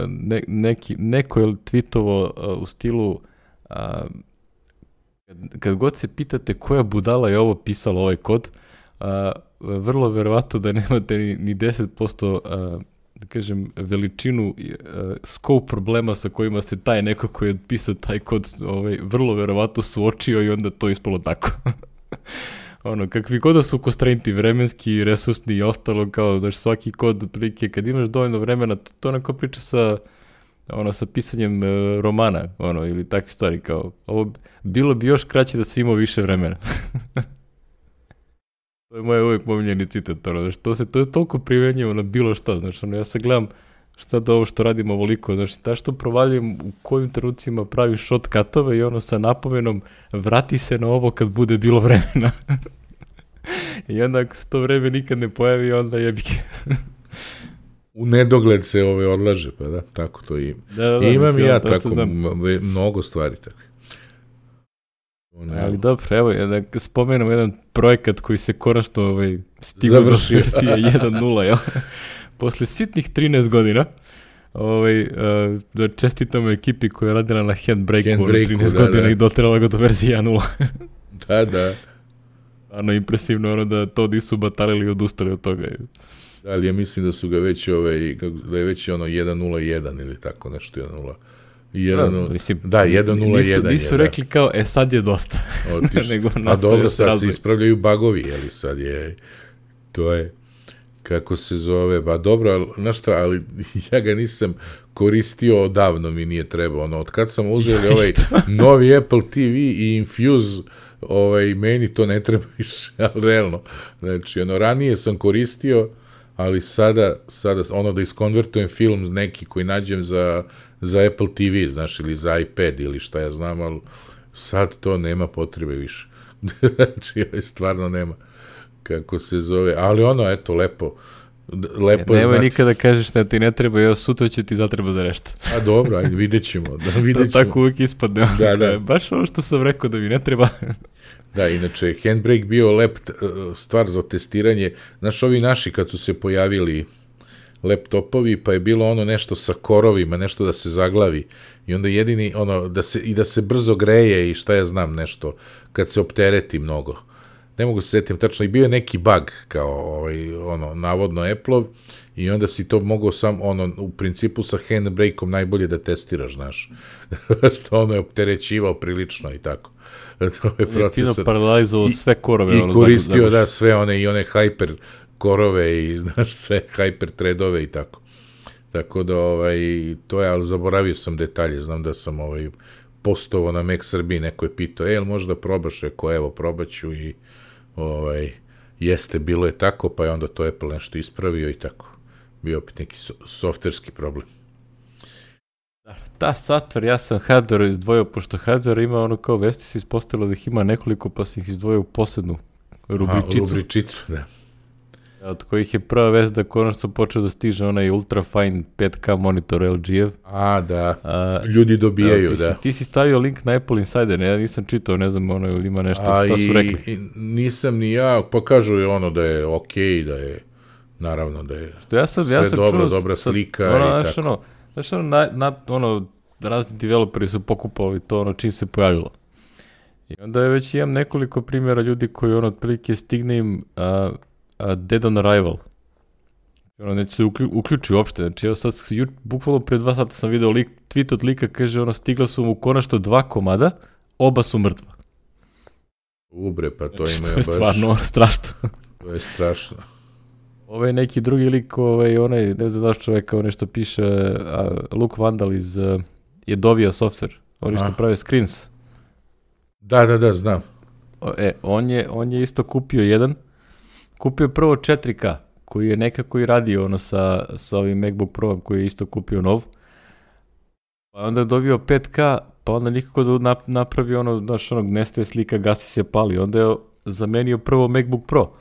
ne, neki, neko je tweetovo uh, u stilu uh, kad, kad god se pitate koja budala je ovo pisala ovaj kod, uh, vrlo verovatno da nemate ni, ni deset posto uh, da kažem, veličinu uh, scope problema sa kojima se taj neko koji je pisao taj kod ovaj, vrlo verovatno suočio i onda to ispalo tako. Ono, kakvi god da su constrainti vremenski, resursni i ostalo, kao da svaki kod prilike, kad imaš dovoljno vremena, to, to onako priča sa, ono, sa pisanjem uh, romana, ono, ili takve stvari, kao, ovo bilo bi još kraće da si imao više vremena. To je moj uvijek pominjeni citat, ono, znači, to, se, to je toliko primenjivo na bilo šta, znači, ono, ja sad gledam šta da ovo što radimo ovoliko, znači, ta što provaljujem u kojim trenucima pravim shortcutove i ono sa napomenom vrati se na ovo kad bude bilo vremena. I onda ako se to vreme nikad ne pojavi, onda jebike.
U nedogled se ove odlaže, pa da, tako to i
da, da, da,
imam
mislim,
ja
to
tako m- mnogo stvari tako.
Ali dobro, evo, da spomenem jedan projekat koji se konačno ovaj, stigao do verzije jedan nula, jel? Posle sitnih trinaest godina, ovaj, uh, da čestitamo ekipi koja je radila na Handbrake-u, Handbrake trinaest da, godina da. I doterala ga do verzije jedan nula.
Da, da.
Ano, impresivno ono da to nisu batalili i odustali od toga.
Da, ali ja mislim da su ga već, ovaj, da je već ono jedan nula jedan ili tako nešto, jedan nula. jedan, da, mislim, da, jedan nula jedan.
Nisu, nisu
je,
rekli da. Kao, e sad je dosta.
Nego a dobro, sad razvoj. Se ispravljaju bagovi, jeli sad je, to je, kako se zove, ba dobro, znaš šta, ali ja ga nisam koristio odavno, mi nije trebao, ono, od kad sam uzeli ja, ovaj novi Apple T V i Infuse, ovaj, meni to ne treba više, ali realno, znači, ono, ranije sam koristio, ali sada, sada, ono, da iskonvertujem film neki koji nađem za za Apple T V, znaš, ili za iPad ili šta ja znam, ali sad to nema potrebe više. Znači, stvarno nema, kako se zove, ali ono, eto, lepo, lepo
je
znati.
Nema nikada kažeš da ti ne treba, evo, sutra će ti zatreba za nešto.
A dobro, ajde, vidjet ćemo. Da, vidjet
ćemo. To tako uvijek ispadne.
Da, da.
Baš ono što sam rekao da mi ne treba.
Da, inače, Handbrake bio lep stvar za testiranje. Znaš, ovi naši kad su se pojavili laptopovi, pa je bilo ono nešto sa korovima, nešto da se zaglavi i onda jedini, ono, da se, i da se brzo greje i šta ja znam nešto, kad se optereti mnogo. Ne mogu se setim tačno, i bio je neki bug, kao, ovaj, ono, navodno Apple-ov, i onda si to mogao sam, ono, u principu sa Handbrake-om najbolje da testiraš, znaš, što ono je opterećivao prilično i tako. To je procesor.
Fino paralizovao sve korove.
I ono, koristio, zaguš. Da, sve one i one hyper korove i, znaš, sve hyper threadove i tako. Tako da, ovaj, to je, ali zaboravio sam detalje, znam da sam, ovaj, postovao na Mac Srbiji, neko je pitao, e, jel možda probaš, reko, evo, probaću i, ovaj, jeste, bilo je tako, pa je onda to Apple nešto ispravio i tako. Bio opet neki so, softverski problem.
Da, software, ja sam hardware izdvojio, pošto hardware ima ono kao vesti se ispostavilo da ih ima nekoliko, pa sam ih izdvojio u posebnu rubričicu.
Aha, rubričicu, da.
Od kojih je prva vest da konačno počeo da stiže onaj ultrafine pet K monitor L G-ev.
A, da, A, ljudi dobijaju,
da. Ti,
da.
Si, ti si stavio link na Apple Insider, ne, ja nisam čitao, ne znam, ono, ili ima nešto, šta su rekli.
I, nisam ni ja, pa kažu je ono da je okej, okay, da je, naravno da je
ja sam,
sve
ja sam
dobro,
čuo,
dobra
sad,
slika
ono,
i
znaš,
tako.
Ono, znaš, ono, na, na, ono, razni developeri su pokupali to, ono, čim se pojavilo. I onda je već imam nekoliko primjera ljudi koji, ono, otprilike stigne im a, a, dead on arrival. Ono, neće se uklju, uključi uopšte. Znači, evo sad, ju, bukvalno pre dva sata sam video lik, tweet od lika, kaže, ono, stigla su mu konačno dva komada, oba su mrtva.
Ubre, pa to
znači,
ima
baš...
To je
stvarno strašno.
To je strašno.
Ovo je neki drugi lik, ovaj, onaj, ne znam daš čovjeka, on nešto piše, a, Luke Vandal iz uh, je dovio software, oni što prave screens.
Da, da, da, znam.
O, e, on je, on je isto kupio jedan, kupio prvo četiri K, koji je nekako i radio ono sa, sa ovim MacBook Pro koji je isto kupio nov. Pa onda je dobio pet K, pa onda nikako da napravi ono, znaš, onog nestaje slika, gasi se, pali. Onda je zamenio prvo MacBook Pro.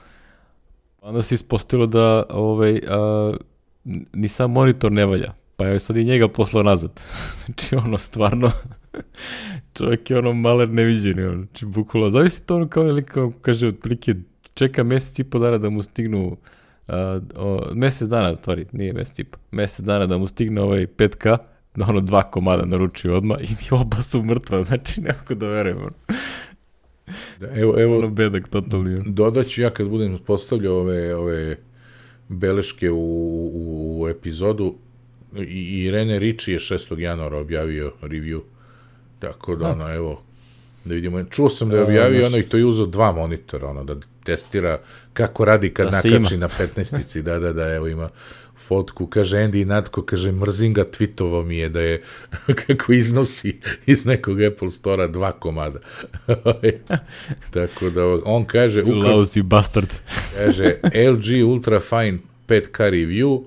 Onda se ispostavilo da ovaj, a, ni sam monitor ne valja. Pa je sad i njega poslao nazad. Znači ono, stvarno, čovjek je ono maler neviđeni. Ono. Znači bukvalo, zavisi to ono kao, kao kaže, otprilike čeka mjesec i po dana da mu stignu, uh, o, mjesec dana, stvari, nije mjesec i po, mjesec dana da mu stigne ovaj pet K, da ono dva komada naručio odmah i oba su mrtva, znači nekako da verujem.
Da, evo, evo,
ono bedak totalni.
Dodaću ja kad budem postavljao ove, ove beleške u, u, u epizodu, i Irene Ricci je šestog januara objavio review, tako da, ono, evo, da vidimo. Čuo sam da je objavio ono i to je uzeo dva monitora, ono, da testira kako radi kad da nakači na petnaestici, da, da, da, evo ima fotku, kaže Andy Natko, kaže, mrzim ga, tweetovo mi je da je, kako iznosi iz nekog Apple Store-a dva komada. Tako da, on kaže...
Lousy bastard.
Kaže, L G Ultra Fine pet K review,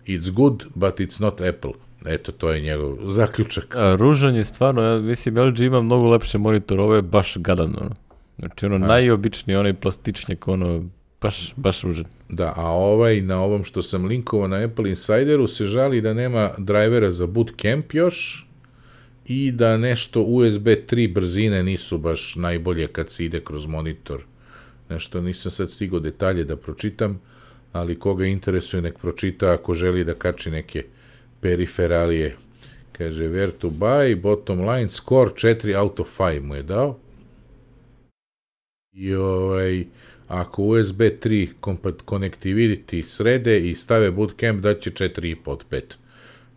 it's good, but it's not Apple. Eto, to je njegov zaključak.
A, ružan je stvarno, ja mislim, L G ima mnogo lepše monitor, ovo je baš gadan, ono. Znači, ono, A. najobičniji, onaj plastičnjak, ono, baš, baš ružan.
Da, a ovaj, na ovom što sam linkovao na Apple Insideru, se žali da nema drivera za Bootcamp još i da nešto U S B tri brzine nisu baš najbolje kad se ide kroz monitor. Nešto, nisam sad stigao detalje da pročitam, ali koga interesuje nek pročita ako želi da kači neke periferalije. Kaže, where to buy, bottom line, score četiri out of pet mu je dao. I ovaj, ako U S B tri connectivity srede i stave Bootcamp, daće četiri i po od pet.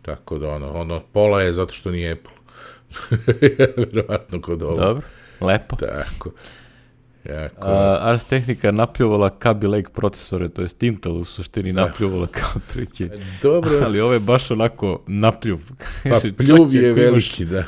Tako da ono, ono, pola je zato što nije Apple. Verovatno kod ovo.
Dobro, lepo.
Tako. Jako.
A, Ars Technica napljuvala Kaby Lake procesore, to jest Intel u suštini napljuvala kao prike.
Dobro.
Ali ovo je baš onako napljuv.
Pa pljuv je veliki, da.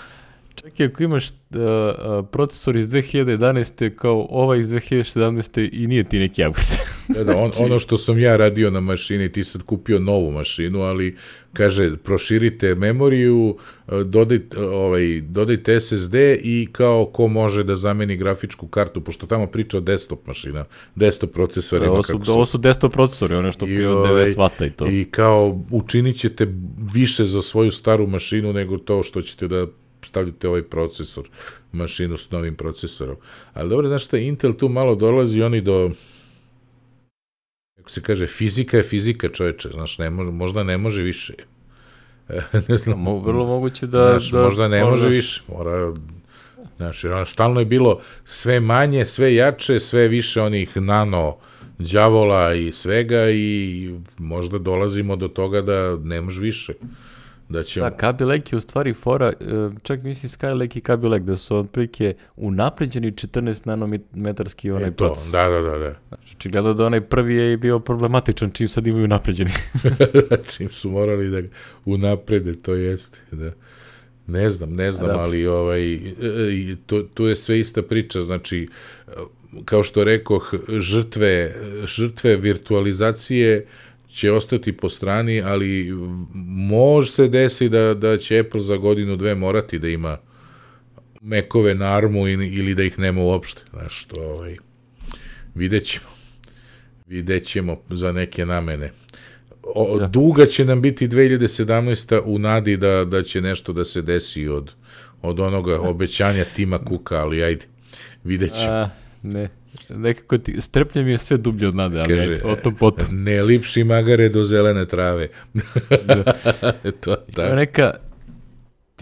Čak i ako imaš uh, uh, procesor iz dve hiljade jedanaeste kao ovaj iz dve hiljade sedamnaeste i nije ti neki upgrade.
Da, da, on, ono što sam ja radio na mašini, ti sad kupio novu mašinu, ali kaže, proširite memoriju, dodajte, ovaj, dodajte S S D i kao ko može da zameni grafičku kartu, pošto tamo priča o desktop mašina, desktop procesorima.
Ovo su, ovo su desktop procesori, ono što pije od devedeset vata i to.
I kao učinit ćete više za svoju staru mašinu nego to što ćete da stavljate ovaj procesor, mašinu s novim procesorom. Ali dobro, znaš šta, Intel tu malo dolazi oni do, kako se kaže, fizika je fizika, čoveče, znaš, ne može, možda ne može više. Ne znam.
Mo, vrlo moguće da...
Znaš,
da
možda ne može više, mora... Znaš, jer ono, stalno je bilo sve manje, sve jače, sve više onih nano đavola i svega i možda dolazimo do toga da ne može više. Da, ćemo...
da, Kaby Lake je u stvari fora, čak mislim Skylake i Kaby Lake, da su otprilike unapređeni četrnaest nanometarski onaj proces.
Da, da, da, da.
Znači, očigledno da onaj prvi je bio problematičan, čim sad imaju unapređeni.
Čim su morali da unaprede, to jeste, da. Ne znam, ne znam, da. Ali ovaj, to, to je sve ista priča, znači, kao što rekoh, žrtve, žrtve virtualizacije će ostati po strani, ali može se desi da, da će Apple za godinu dve morati da ima Macove na armu ili da ih nema uopšte. Znaš, to, ovaj, vidjet ćemo. Vidjet ćemo za neke namene. O, ja. Duga će nam biti dve hiljade sedamnaesta u nadi da, da će nešto da se desi od, od onoga obećanja Tima Cooka, ali ajde, vidjet ćemo. A,
ne. Nekako ti, strplje mi je sve dublje od nade, ali kaže, o tom potom.
Ne lipši magare do zelene trave.
Da. to, tako. Neka,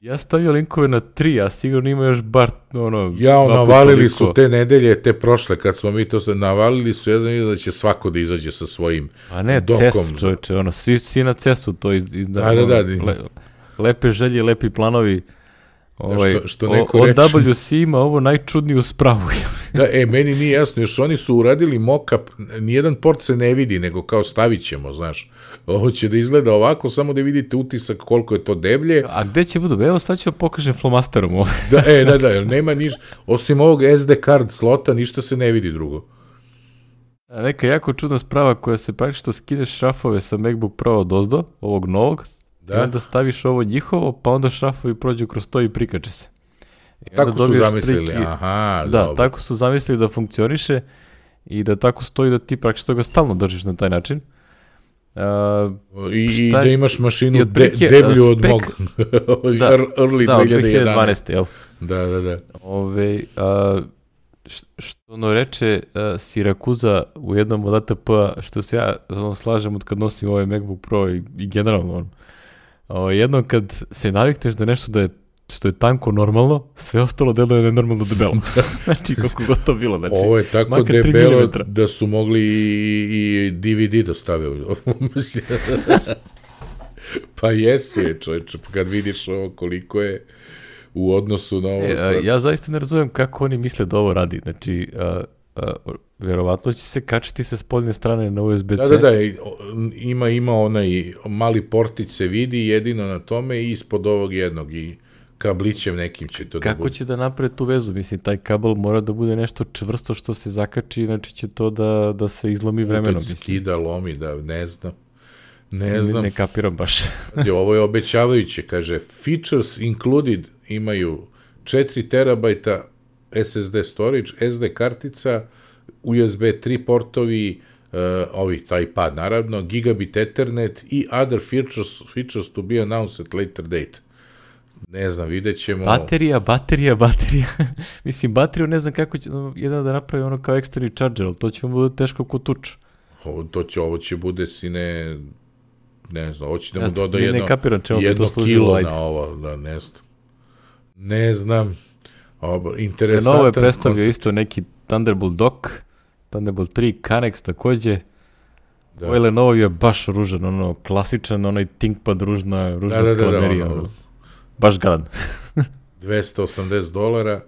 ja stavio linkove na tri, a sigurno ima još bar ono...
Ja, navalili su te nedelje, te prošle, kad smo mi to navalili su, ja znam da će svako da izađe sa svojim
a ne,
dokom.
C E S, čovječe, ono, svi, svi na C E S-u to iz, iz,
da, da, da, da.
Le, lepe želje, lepi planovi. Ovaj,
što, što neko
o,
reči...
od W C ima ovo najčudniju spravu.
Da, e, meni nije jasno, još oni su uradili mock-up, nijedan port se ne vidi, nego kao stavit ćemo, znaš. Ovo će da izgleda ovako, samo da vidite utisak koliko je to deblje.
A gde će budu? Evo sad ću vam pokažem flomasterom ovo.
Da, e, da, da, nema niš, osim ovog S D card slota, ništa se ne vidi drugo.
A neka jako čudna sprava koja se pravi što skineš šrafove sa MacBook Pro od ozdo, ovog novog, da. I onda staviš ovo njihovo, pa onda šrafovi prođu kroz to i prikače se. I
tako su zamislili, priki, aha,
da,
dobro.
Tako su zamislili da funkcioniše i da tako stoji da ti praktično ga stalno držiš na taj način. Uh,
I, I da imaš mašinu de, deblju od mog
da,
early
da,
dve hiljade jedanaeste.
jel?
Da, da, da.
Ove, uh, što ono reče uh, Sirakuza u jednom od A T P-a, što se ja ono, slažem od kad nosim ovaj MacBook Pro i, i generalno ono. O, jednom kad se navikneš da nešto da je što je tanko normalno, sve ostalo deluje nenormalno debelo. Znači, kako god to bilo. Znači,
ovo je tako debelo da su mogli i, i D V D da stave. Pa jesu je, čovječe, kad vidiš ovo koliko je u odnosu na ovo.
E, ja zaista ne razumijem kako oni misle da ovo radi. Znači, a, a, verovatno će se kačiti sa spoljne strane na U S B C.
Da, da, da, ima, ima onaj mali portić se vidi jedino na tome i ispod ovog jednog i kablićem nekim će to
kako
da bude.
Kako će da naprave tu vezu? Mislim, taj kabel mora da bude nešto čvrsto što se zakači, znači će to da, da se izlomi vremenom.
Opet skida, lomi, da ne znam. Ne znam.
Ne, ne kapiram baš.
Ovo je obećavajuće, kaže, features included imaju četiri terabajta S S D storage, S D kartica, U S B tri portovi, uh, ovi, taj pad naravno, gigabit Ethernet i other features, features to be announced at later date. Ne znam, vidjet ćemo.
Baterija, baterija, baterija. Mislim, bateriju ne znam kako će jedan da napravi ono kao external charger, ali to će mu bude teško ko tuč.
Ovo, to će, ovo će bude sine, ne znam, ovo će da mu
ja,
doda
ne,
jedno,
ne kapiram,
jedno kilo ajde. Na ovo, da ne znam. Ne znam. Ovo, interesantan.
Novo je predstavio koncept. Isto neki Thunderbolt dock, Thunderbolt tri, Canex takođe. Da. Ovo Lenovo je baš ružan, ono, klasičan, onaj ThinkPad ružna, ružna da, da, skalamerija. Da, da, da, baš gadan.
dvesta osamdeset dolara,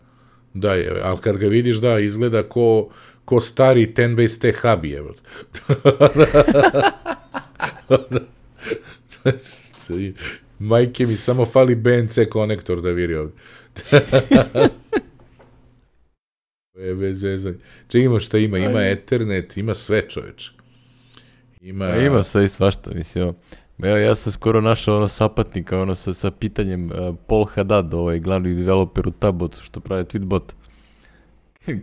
da je, ali kad ga vidiš, da, izgleda ko, ko stari ten base T hub je. Majke mi samo fali B N C konektor da viri ovdje. je bez vezanja. Če ima šta ima? Ima Ethernet, ima sve čoveče. Ima...
Ja, ima sve i svašta, mislim. Evo, ja sam skoro našao ono sapatnika, ono sa, sa pitanjem uh, Paul Haddad, ovaj glavni developer u Tabotu, što pravi Tweetbot.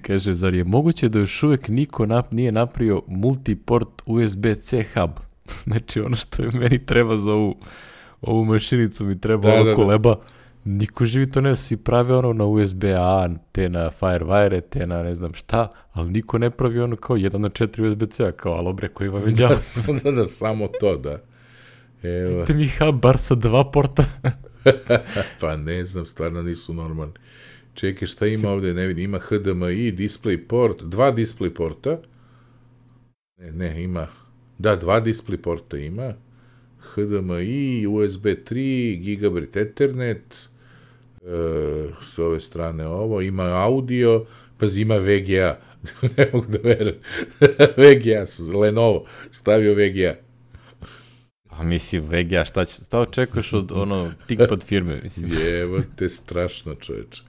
Kaže, zar je moguće da još uvijek niko nap, nije napravio multiport U S B C hub? Znači, ono što je meni treba za ovu, ovu mašinicu, mi treba da, ono da, koleba. Da. Niko živi to ne, svi prave ono na U S B A, te na Firewire, te na ne znam šta, ali niko ne pravi ono kao jedan na četiri U S B C-a, kao alobre koji ima već
da, da, da, samo to, da. Evo.
Te mi hub bar sa dva porta.
Pa ne znam, stvarno nisu normalni. Čekaj, šta ima ovdje, ne vidim, ima H D M I, display port, dva display porta. Ne, ne, ima, da, dva display porta ima. H D M I, U S B tri, gigabit Ethernet, e, s ove strane ovo, ima audio, pa ima V G A. Ne mogu da verujem. V G A, Lenovo, stavio V G A.
A mislim, V G A, šta, će, šta očekuješ od ono ThinkPad firme? Mislim.
Jevo te strašno, čoveče.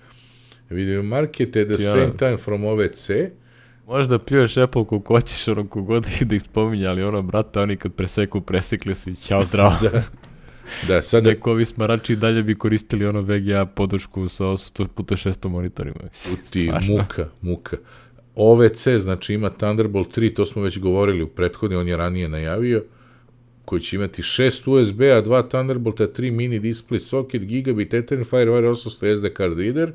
Vidim, marketed at the same time from O V C.
Možda pljuješ Apple koliko hoćeš, ono kogod ih da ih spominja, ali ono, brate, oni kad preseku, presekli su i ćao zdravo.
Da, da, sada...
Neko ovi smarači dalje bi koristili ono V G A podršku sa osamsto puta šesto monitorima.
Ti, muka, muka. O V C, znači ima Thunderbolt tri, to smo već govorili u prethodni, on je ranije najavio, koji će imati šest U S B-a, dva Thunderbolta, tri mini display socket, gigabit Ethernet, Firewire osamsto S D card reader.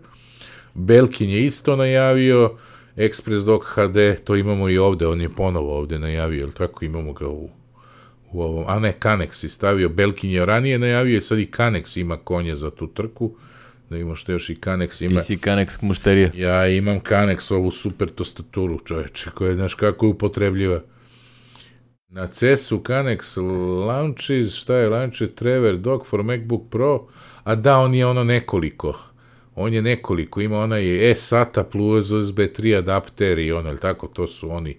Belkin je isto najavio, Express Dock H D, to imamo i ovde, on je ponovo ovde najavio, ili tako imamo ga u, u ovom, a ne, Canex je stavio, Belkin je ranije najavio, sad i Canex ima konje za tu trku, da imamo što još i Canex ima.
Ti si Canex mušterija.
Ja imam Canex, ovu super tastaturu, čoveče, koja je, znaš kako je upotrebljiva. Na C E S-u Canex launches, šta je launcher, Trevor Dock for MacBook Pro, a da, on je ono nekoliko, on je nekoliko, ima onaj eSATA plus U S B tri adapter i ono, ali tako, to su oni.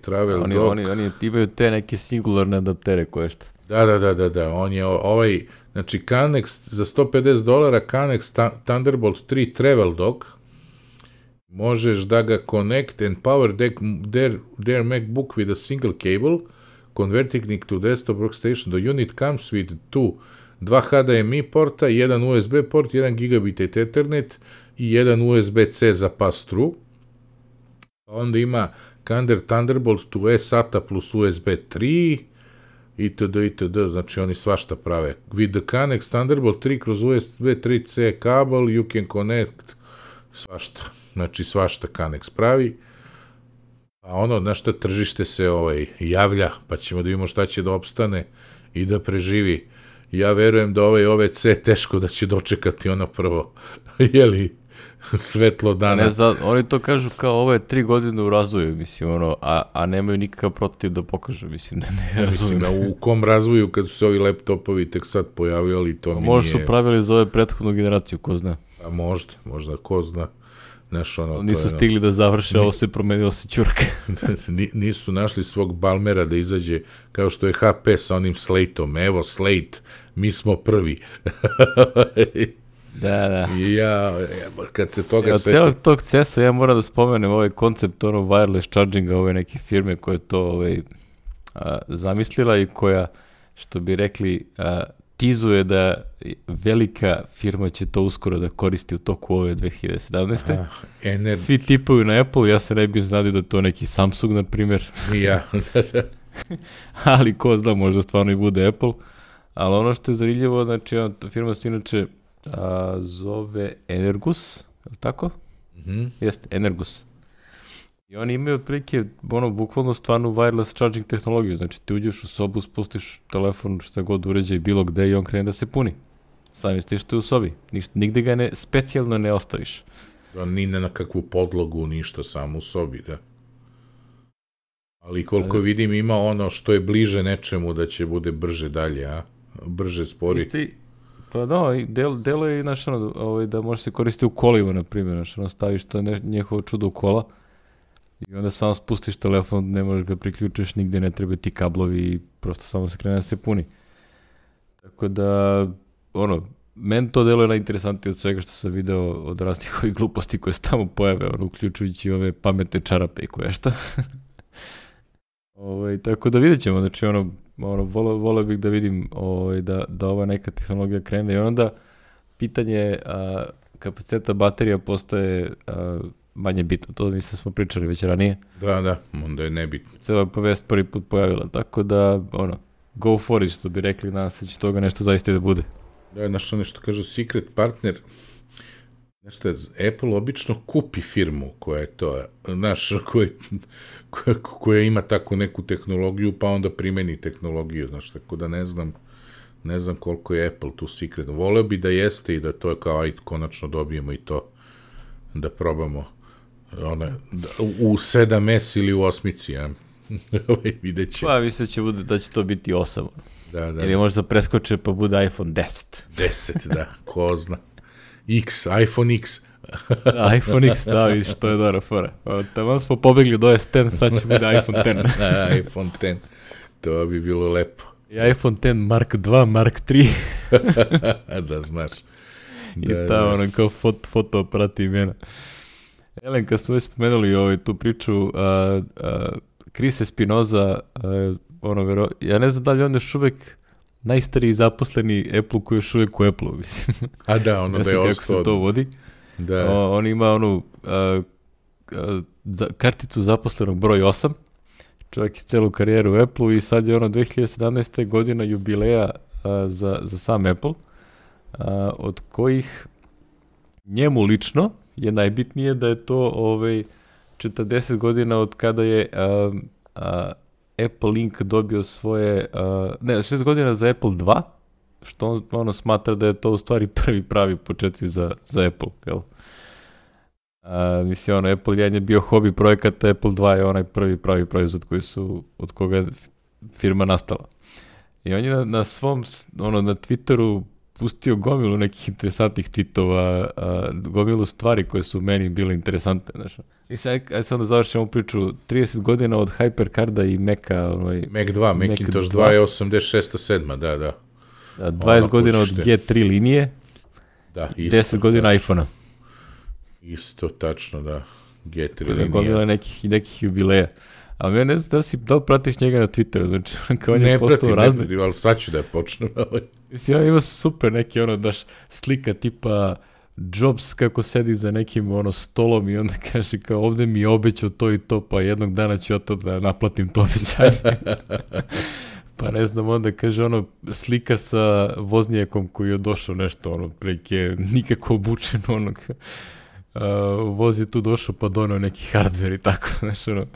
Travel
oni,
Dock.
Oni, oni imaju te neke singularne adaptere koje šta.
Da, da, da, da, da, on je ovaj, znači Canex za sto pedeset dolara, Canex ta, Thunderbolt tri Travel Dock, možeš da ga connect and power their, their, their MacBook with a single cable, converting it to desktop workstation. The unit comes with two, dva H D M I porta, jedan U S B port, jedan gigabit Ethernet i jedan U S B C za pass-through. Onda ima Kander Thunderbolt to eSATA plus U S B tri, itd., itd., znači oni svašta prave. With the Canex Thunderbolt tri kroz U S B tri C kabel, you can connect svašta. Znači, svašta Kanex pravi. A ono, na šta tržište se ovaj, javlja, pa ćemo da vidimo šta će da opstane i da preživi. Ja verujem da ovaj O V C teško da će dočekati ono prvo, jeli, svetlo dana.
Ne znam, oni to kažu kao ovo je tri godine u razvoju, mislim, ono, a, a nemaju nikakav prototip da pokažu, mislim, da ne razumijem.
Mislim, u kom razvoju kad su se ovi laptopovi tek sad pojavili, to mi nije...
Možda su pravili za ove prethodnu generaciju, ko zna.
A možda, možda, ko zna. Znaš, ono,
nisu
to,
stigli da završe, ovo se promenilo se čurka.
Nisu našli svog Balmera da izađe kao što je H P sa onim Slate-om. Evo, Slate, mi smo prvi.
Da, da.
I ja, kad se toga...
Od sve... celog tog C E S-a ja moram da spomenem ovaj koncept ono wireless charginga ove neke firme koje to ovaj, a, zamislila i koja, što bi rekli, a, tizuje da velika firma će to uskoro da koristi u toku ove dve hiljade sedamnaeste. Aha, ener... Svi tipuju na Apple, ja se ne bih znadio da to neki Samsung, na primjer.
Ja.
Ali ko zna, možda stvarno i bude Apple. Ali ono što je zanimljivo, znači, firma se inače a, zove Energus, je li tako?
Mm-hmm.
Jeste, Energus. I oni imaju otprilike, ono, bukvalno stvarno wireless charging tehnologiju. Znači, ti uđeš u sobu, spustiš telefon, šta god uređaj bilo gde i on krene da se puni. Sami stiš tu u sobi. Ništa, nigde ga ne, specijalno ne ostaviš.
Ni na kakvu podlogu, ništa, samo u sobi, da. Ali koliko e... vidim, ima ono što je bliže nečemu da će bude brže dalje, a? Brže spori.
Isti, pa da, del, delo je, znaš, ono, ovaj, da može se koristiti u kolima, na primjer, znaš, ono, staviš to ne, njehovo čudo u kola. I onda samo spustiš telefon, ne možeš ga priključiš, nigde ne treba ti kablovi i prosto samo se krene da se puni. Tako da, ono, meni to delo je najinteresantnije od svega što sam video od raznih ovih gluposti koje se tamo pojave, ono, uključujući ove pametne čarape i koje šta. Ovaj, tako da vidjet ćemo, znači, ono, ono voleo, voleo bih da vidim ovaj, da, da ova neka tehnologija krene i onda pitanje a, kapaciteta baterija postaje a, manje bitno, to mislim smo pričali već ranije.
Da, da, onda je nebitno.
Se ova povest prvi put pojavila, tako da, ono, go for it, što bi rekli, nas se će toga nešto zaista da bude.
Da, znaš, nešto kažu, secret partner, znaš šta, Apple obično kupi firmu koja je to, znaš, koja, koja, koja ima takvu neku tehnologiju, pa onda primeni tehnologiju, znaš, tako da ne znam, ne znam koliko je Apple tu secret. Voleo bi da jeste i da to je kao, ajde, konačno dobijemo i to, da probamo one, u sedam es ili u osmici, ja. Vidjet će.
Pa mislim će bude, da će to biti osam.
Da, da.
Ili možda preskoče pa bude iPhone deset.
deset, da, ko zna. X, iPhone X.
Da, iPhone X, da, vidiš, to je dobra fora. Tamo smo pobegli do S deset, sad će bude iPhone deset.
Da, iPhone deset, to bi bilo lepo.
I iPhone deset Mark dva, Mark tri.
Da, znaš.
I da, ta, da. Ono, kao foto, fotoaparati imena. Elen, kad smo već spomenuli ovaj, tu priču, uh, uh, Chris Espinoza, uh, ono, vero, ja ne znam da li on još uvek najstariji zaposleni Apple koji je još uvek u Apple-u, mislim.
A da, ono da je ostao.
Ne znam kako se to vodi.
Da.
O, on ima onu uh, uh, karticu zaposlenog broj osam. Čovjek je celu karijeru u Apple-u i sad je ono dve hiljade sedamnaeste godina jubileja uh, za, za sam Apple, uh, od kojih njemu lično je najbitnije da je to ovaj, četrdeset godina od kada je uh, uh, Apple Inc dobio svoje, uh, ne, šest godina za Apple dva, što on, ono smatra da je to u stvari prvi pravi početci za, za Apple, jel? Uh, mislim, ono, Apple jedan je bio hobi projekata, Apple dva je onaj prvi pravi proizvod koji su, od koga je firma nastala. I on je na, na svom, ono, na Twitteru pustio gomilu nekih interesantnih tweetova, uh, gomilu stvari koje su meni bile interesantne, znaš. I sad, ajde sad da završimo priču, trideset godina od HyperCarda i Maca, ovaj...
Mac dva, Macintosh dva je osamdeset šesta sedma, da, da.
Da, dvadeset ono godina od G tri linije,
da, isto,
deset godina
tačno.
iPhone-a.
Isto, tačno, da. G tri
da,
linije.
Gomila nekih, nekih jubileja. Ali ja ne znam da si, da li pratiš njega na Twitteru, znači kao on je postao razne.
Ne pratim, ali sad ću da je počnem.
Mislim, on ima super neki, ono, daš slika tipa Jobs kako sedi za nekim, ono, stolom i onda kaže kao ovde mi je obećao to i to, pa jednog dana ću ja to da naplatim to obećanje. Pa ne znam, onda kaže ono, slika sa voznjakom koji je došao nešto, ono, preke nikako obučeno, ono, uh, voz je tu došao pa donao neki hardware i tako, znaš, ono,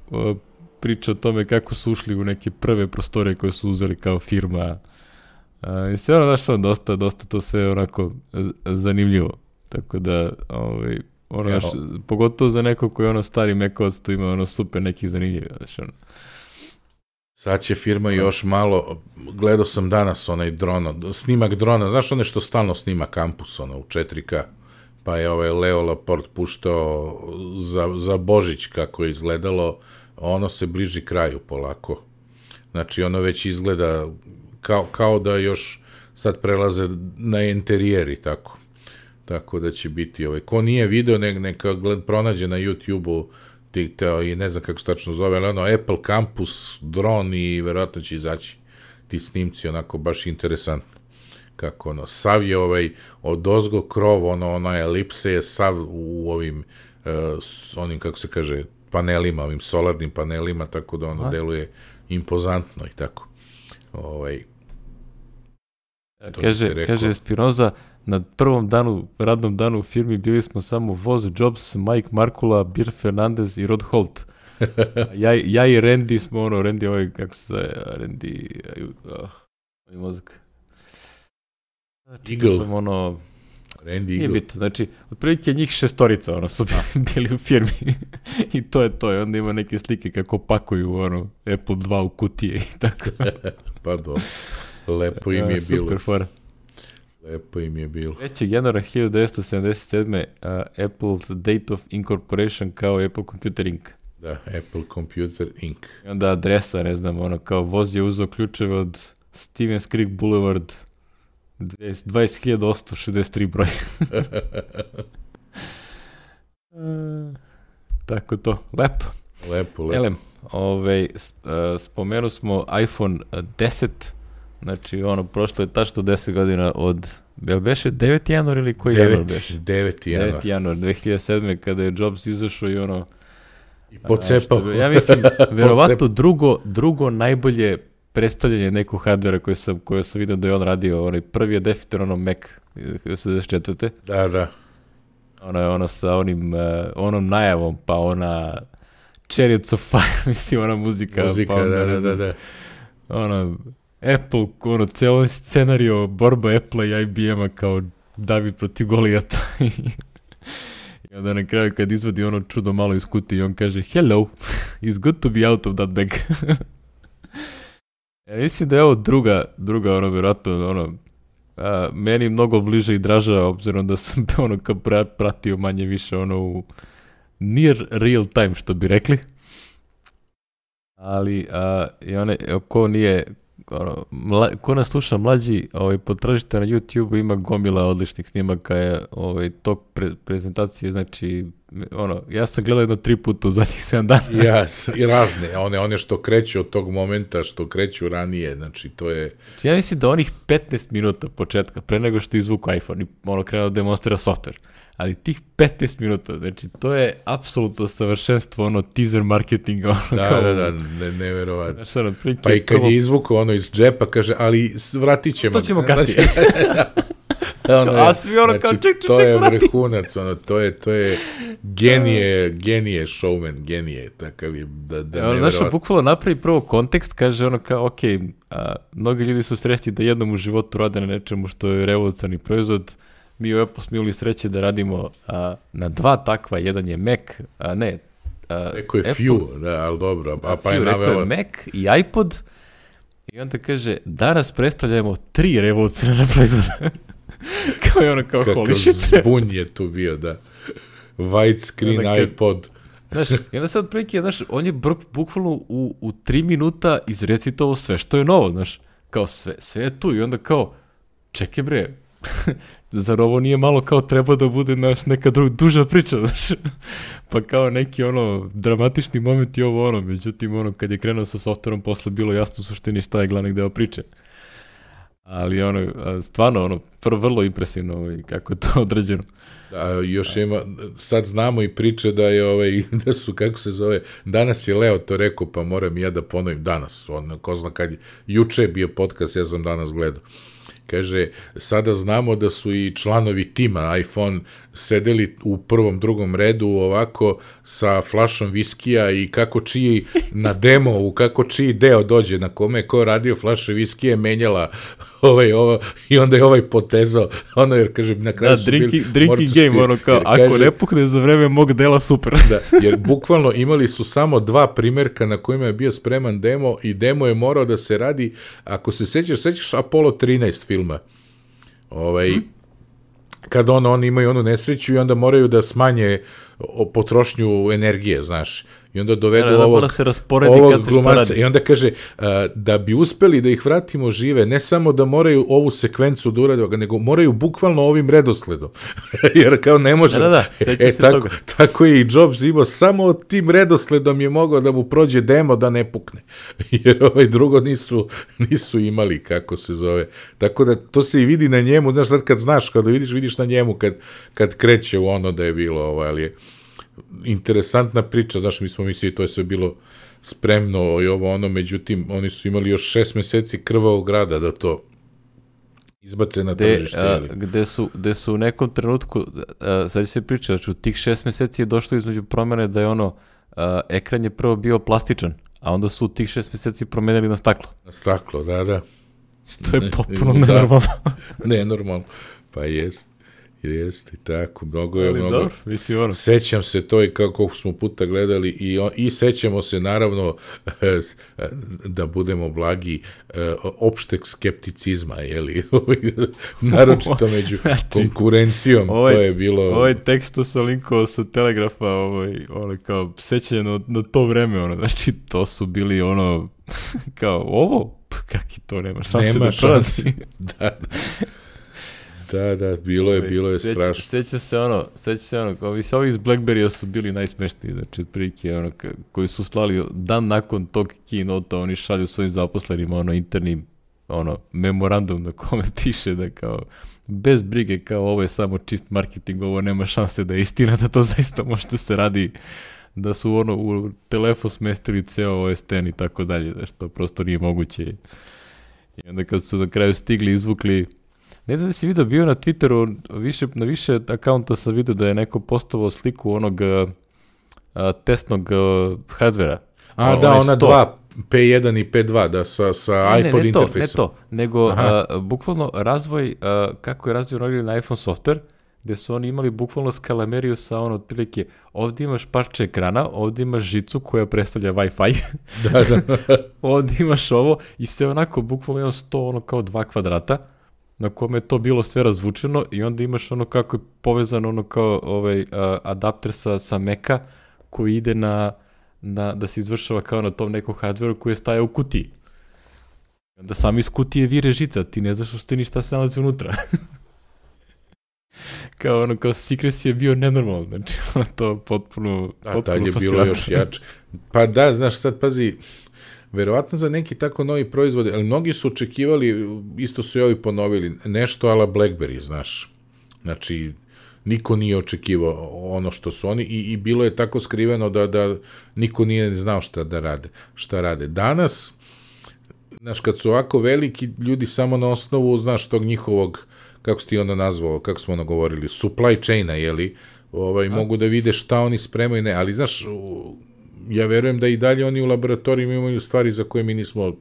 uh, priča o tome kako su ušli u neke prve prostore koje su uzeli kao firma. Uh, I sve ono, znaš, ono, dosta, dosta to sve onako z- zanimljivo. Tako da, ovaj, ono, znaš, pogotovo za neko koji je ono stari Mac-ovac, tu ima ono super nekih zanimljivih, znaš, ono.
Sad će firma još malo, gledao sam danas onaj drona, snimak drona, znaš one što stalno snima kampus, ono, u četiri ka, pa je ovaj Leo Laporte puštao za, za Božić kako je izgledalo, ono se bliži kraju polako. Znači, ono već izgleda kao, kao da još sad prelaze na interijer i tako. Tako da će biti, ovaj, ko nije video, ne, neka gled, pronađe na YouTube-u teo, i ne znam kako se tačno zove, ali ono, Apple Campus, dron i verovatno će izaći ti snimci, onako, baš interesantno. Kako, ono, sav je ovaj, od ozgo krov, ono, ona elipse je sav u ovim, uh, s onim, kako se kaže, panelima, ovim solarnim panelima, tako da ono Aha. deluje impozantno i tako. Ovaj,
kaže, kaže Spinoza, na prvom danu, radnom danu u firmi bili smo samo Voz, Jobs, Mike Markula, Bill Fernandez i Rod Holt. ja, ja i Randy smo ono, Randy ovaj, kako se zove, Randy, uh, ovaj mozak. Eagle. Sam ono,
Randy
nije bitno, znači, otprilike njih šestorica, ono, su bili u firmi i to je to, i onda ima neke slike kako pakuju, ono, Apple dva u kutije i tako.
Pa do, lepo im je bilo.
Super fora.
Lepo im je bilo.
trećeg januara hiljadu devetsto sedamdeset sedme. Uh, Apple's Date of Incorporation kao Apple Computer Incorporated.
Da, Apple Computer Incorporated.
I onda adresa, ne znam, ono, kao voz je uzeo ključeve od Stevens Creek Boulevard, dvadeset hiljada osamsto šezdeset tri broj. uh, tako to, lepo.
Lepo, lepo.
Elem, ovaj, uh, spomenu smo iPhone deset, znači ono, prošlo je tačno deset godina od, jel beše deveti januar ili koji januar beše?
deveti januar.
deveti januar dve hiljade sedme. kada je Jobs izašao i ono...
I pocepao.
A, ja mislim, verovatno drugo, drugo najbolje predstavljanje nekog hardvera koje sam, koje sam vidio da je on radio. Onaj prvi je definitivno ono Mac osamdeset četvrte.
Da, da.
Ono je ono sa onim, uh, onom najavom, pa ona Chariots of Fire, mislim, ona muzika.
Muzika,
pa onda,
da, da, da, da.
Ono, Apple, ono, ceo scenario borba Apple i I B M-a kao David protiv Golijata. I onda na kraju kad izvadi ono čudo malo iz kutije i on kaže hello, it's good to be out of that bag. Ja mislim da je ovo druga, druga ono, vjerojatno, ono, a, meni mnogo bliže i draža, obzirom da sam ono kao pratio manje više ono u near real time, što bi rekli. Ali, a, i one, ko nije, ono, mla, ko nas sluša mlađi, ovaj, potražite na YouTube, ima gomila odličnih snimaka je, ovaj, tog pre, prezentacije, znači, ono, ja sam gledao jedno tri puta u zadnjih sedam dana.
Ja, i razne, one, one što kreću od tog momenta, što kreću ranije, znači, to je...
Znači, ja mislim da onih petnaest minuta početka, pre nego što izvuku iPhone i ono krenuo da demonstrira software, ali tih petnaest minuta, znači, to je apsolutno savršenstvo, ono, teaser marketinga, ono,
da,
kao...
Da, da, ne, neverovatno.
Znači, ono, prike,
pa i kad prvo... je izvukao ono iz džepa, kaže, ali vratit ćemo.
To ćemo kasnije.
Ono je,
a svi ono
znači,
kao, ček, ček,
to
ček,
je
vrati.
vrhunac, ono, to je, to je genije, genije showman, genije, takav je, da, da
ono,
neverovatno.
Znaš, bukvalno napravi prvo kontekst, kaže ono kao, ok, a, mnogi ljudi su srećni da jednom u životu rade na nečemu što je revolucionarni proizvod. Mi u Apple smo imali sreće da radimo a, na dva takva, jedan je Mac, a ne, a,
Eko je
Apple,
Few, da, ali dobro, a, a pa je
Few,
naveo...
je Mac i iPod, i onda kaže, danas predstavljamo tri revolucionarna proizvoda. Kao je ono kao holy shit.
Kako zbunj je tu bio, da. White screen kad, iPod.
Znaš, i onda sad prilike, znaš, on je bukvalno u, u tri minuta izrecitovao sve što je novo, znaš, kao sve, sve je tu i onda kao, čekaj bre, zar ovo nije malo kao treba da bude naš, neka dru, duža priča, znaš, pa kao neki ono dramatični moment i ovo ono, međutim ono kad je krenuo sa softverom posle bilo jasno u suštini šta je glavni deo priče. Ali ono, stvarno, ono, prvo vrlo impresivno kako je to određeno.
Da, još ima, sad znamo i priče da je, ovaj, da su, kako se zove, danas je Leo to rekao, pa moram ja da ponovim danas, on, ko zna kad je, juče je bio podcast, ja sam danas gledao. kaže, sada znamo da su i članovi tima iPhone sedeli u prvom, drugom redu ovako sa flašom viskija i kako čiji na demo, u kako čiji deo dođe, na kome je ko radio flaše viskije, menjala ovaj, ovo, i onda je ovaj potezao, ono jer, kaže, na kraju
da,
su
drinking,
bili...
drinking game, ono kao, ako kaže, ne pukne za vreme mog dela, super.
Da, jer bukvalno imali su samo dva primjerka na kojima je bio spreman demo i demo je morao da se radi, ako se sećaš, sećaš Apollo trinaest filma, ovaj, hmm. kad ono, oni imaju onu nesreću i onda moraju da smanje potrošnju energije, znaš, i onda dovedu
da, da,
ovog,
se rasporedi
ovog
kad se
glumaca i onda kaže, uh, da bi uspeli da ih vratimo žive, ne samo da moraju ovu sekvencu da urade, nego moraju bukvalno ovim redosledom, jer kao ne može.
Da, da, da,
e, se tako, toga. Tako je i Jobs imao, samo tim redosledom je mogao da mu prođe demo da ne pukne, jer ovaj drugo nisu, nisu imali, kako se zove. Tako da to se i vidi na njemu, znaš, sad kad znaš, kada vidiš, vidiš na njemu kad, kad kreće u ono da je bilo, ovaj, ali je interesantna priča, znaš, mi smo mislili, to je sve bilo spremno i ovo ono, međutim, oni su imali još šest meseci krvavog rada da to izbace na
gde,
tržište.
A, gde, su, gde su u nekom trenutku, a, sad se priča, znači u tih šest meseci je došlo između promene da je ono, a, ekran je prvo bio plastičan, a onda su u tih šest meseci promenili na staklo.
Na staklo, da, da.
Što je potpuno ne, nenormalno.
Nenormalno, pa jest. Jeste i tako, mnogo je,
ali
mnogo.
Dobro, mislim, ono.
Sećam se to i kako smo puta gledali i, on, i sećamo se naravno da budemo blagi opšteg skepticizma, jeli, naročito među znači, konkurencijom, ovaj, to je bilo.
Ovaj tekst sa linkovao sa Telegrafa, ovaj, ono kao sećanje na, na to vreme, ono, znači to su bili ono, kao ovo, kaki to nema šanse
nema
da
šanse, da, da. Da, da, bilo je, bilo je
Seć,
strašno.
Seća se ono, seća se ono, ovi, ovi iz Blackberry-a su bili najsmešniji, znači, otprilike, ono, koji su slali dan nakon tog keynota, oni šalju svojim zaposlenima, ono, interni, ono, memorandum na kome piše da kao, bez brige, kao, ovo je samo čist marketing, ovo nema šanse da je istina, da to zaista možete se radi, da su, ono, u telefon smestili ceo O S X i tako dalje, da što prosto nije moguće. I onda kad su na kraju stigli, izvukli. Ne znam da si vidio, bio na Twitteru, više, na više akaunta sam vidio da je neko postavao sliku onog a, testnog a, hardvera.
A, a da, ona sto. dva, P jedan i P dva, da, sa, sa
ne,
iPod
ne,
interfejsom.
Ne to, ne to, nego a, bukvalno razvoj, a, kako je razvoj na iPhone software, gde su oni imali bukvalno skalameriju sa ono, otprilike, ovdje imaš parče ekrana, ovdje imaš žicu koja predstavlja Wi-Fi,
da, da.
ovdje imaš ovo i sve onako, bukvalno jedan sto, ono kao dva kvadrata, na kome je to bilo sve razvučeno i onda imaš ono kako je povezano ono kao ovaj uh, adapter sa, sa Maca koji ide na, na, da se izvršava kao na tom nekom hardveru koji je stajao u kutiji. Onda sam iz kutije vire žica, ti ne znaš što ništa se nalazi unutra. Kao ono, kao secrecy je bio nenormalno, znači ono to potpuno,
da,
potpuno
je bilo još jače. Pa da, znaš, sad pazi, verovatno za neki tako novi proizvod, ali mnogi su očekivali, isto su i ovi ponovili, nešto ala BlackBerry, znaš. Znači, niko nije očekivao ono što su oni i, i bilo je tako skriveno da, da niko nije znao šta da rade, šta rade. Danas, znaš, kad su ovako veliki ljudi samo na osnovu, znaš, tog njihovog, kako si ti onda nazvao, kako smo ono govorili, supply chaina, jeli, ovaj, mogu da vide šta oni spremaju, ne, ali znaš, ja verujem da i dalje oni u laboratorijima imaju stvari za koje mi nismo,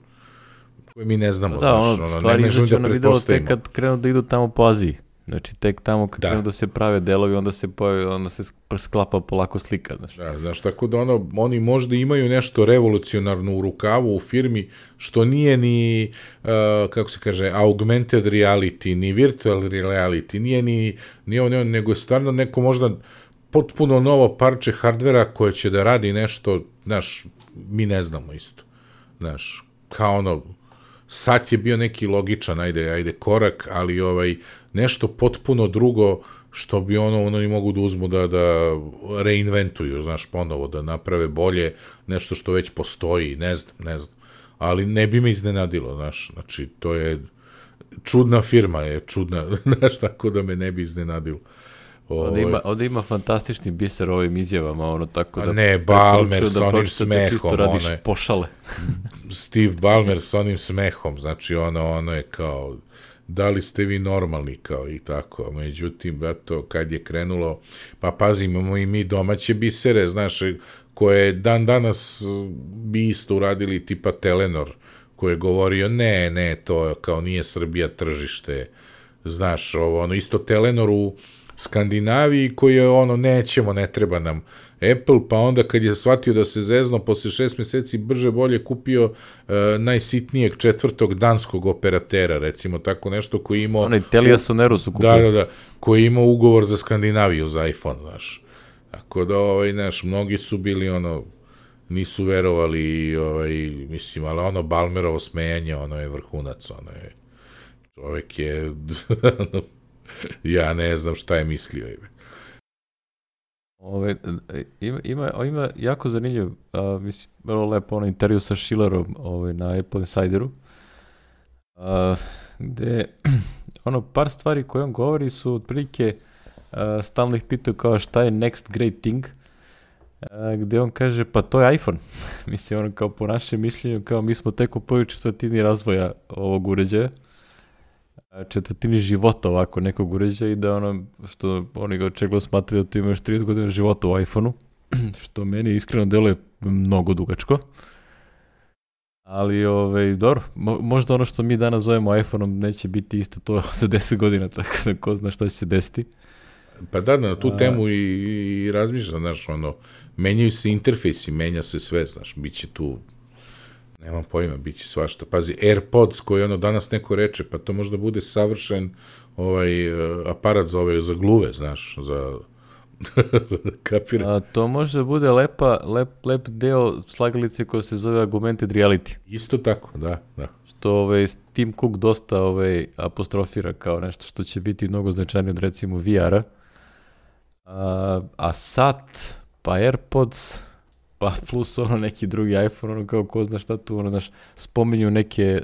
koje mi ne znamo.
Da, znaš, ono, stvari izaći ono videlo tek kad krenu da idu tamo po Aziji. Znači, tek tamo kad da. krenu da se prave delovi, onda se, pojavi, onda se sklapa polako slika. Znaš.
Da, znaš, tako da ono, oni možda imaju nešto revolucionarno u rukavu, u firmi, što nije ni, uh, kako se kaže, augmented reality, ni virtual reality, nije ni, ni ovo, nego je stvarno neko možda potpuno novo parče hardvera koje će da radi nešto, znaš, mi ne znamo isto. Znaš, kao ono, sad je bio neki logičan, ajde, ajde, korak, ali ovaj, nešto potpuno drugo što bi ono, oni mogu da uzmu da, da reinventuju, znaš, ponovo, da naprave bolje, nešto što već postoji, ne znam, ne znam. Ali ne bi me iznenadilo, znaš, znači, to je čudna firma, je čudna, znaš, tako da me ne bi iznenadilo.
Ovdje ima, ovdje ima fantastični biser ovim izjavama, ono tako da...
A ne, Ballmer s onim smehom,
čisto radiš pošale.
Steve Ballmer s onim smehom, znači ono, ono je kao, da li ste vi normalni kao i tako, međutim, brato, kad je krenulo, pa pazi, imamo i mi domaće bisere, znaš, koje dan danas bi isto uradili tipa Telenor, koji je govorio, ne, ne, to kao nije Srbija tržište, znaš, ovo, ono, isto Telenor u Skandinaviji, koji je ono, nećemo, ne treba nam Apple, pa onda kad je shvatio da se zezno, posle šest meseci brže bolje kupio uh, najsitnijeg četvrtog danskog operatera, recimo tako nešto, koji imao...
Onaj Telia Soneru su kupili.
Da, da, da, koji imao ugovor za Skandinaviju, za iPhone, znaš. Tako da, ovaj, znaš, mnogi su bili, ono, nisu verovali, ovaj, mislim, ali ono Balmerovo smejanje, ono je vrhunac, ono je, čovek je, ja ne znam šta je mislio.
Ove, ima, ima, ima jako zanimljiv, a, mislim, vrlo lepo ono intervju sa Schillerom ovaj, na Apple Insideru, a, gde ono par stvari koje on govori su otprilike, a, stalno ih pitaju kao šta je next great thing, a, gde on kaže pa to je iPhone. Mislim, ono kao po našem mišljenju, kao mi smo tek u prvoj četvrtini razvoja ovog uređaja, četvrtini života ovako nekog uređaja i da ono što oni ga očigledno smatraju da tu ima još trideset godina života u iPhone-u, što meni iskreno deluje mnogo dugačko. Ali, ovaj, dobro, mo- možda ono što mi danas zovemo iPhone-om neće biti isto to za deset godina, tako da ko zna šta će se desiti.
Pa da, na tu A... temu i, i razmišljam, znaš, ono, menjaju se interfejsi, menja se sve, znaš, bit će tu, nemam pojma, bit će svašta. Pazi, AirPods koji ono danas neko reče, pa to možda bude savršen ovaj uh, aparat za ove, za gluve, znaš, za kapira.
A, to može da bude lepa, lep, lep deo slagalice koja se zove augmented reality.
Isto tako, da, da.
Što ovaj, Tim Cook dosta ovaj, apostrofira kao nešto što će biti mnogo značajnije od recimo V R-a. A, a sat, pa AirPods, pa plus ono neki drugi iPhone, ono kao ko zna šta tu, ono, znaš, spominju neke,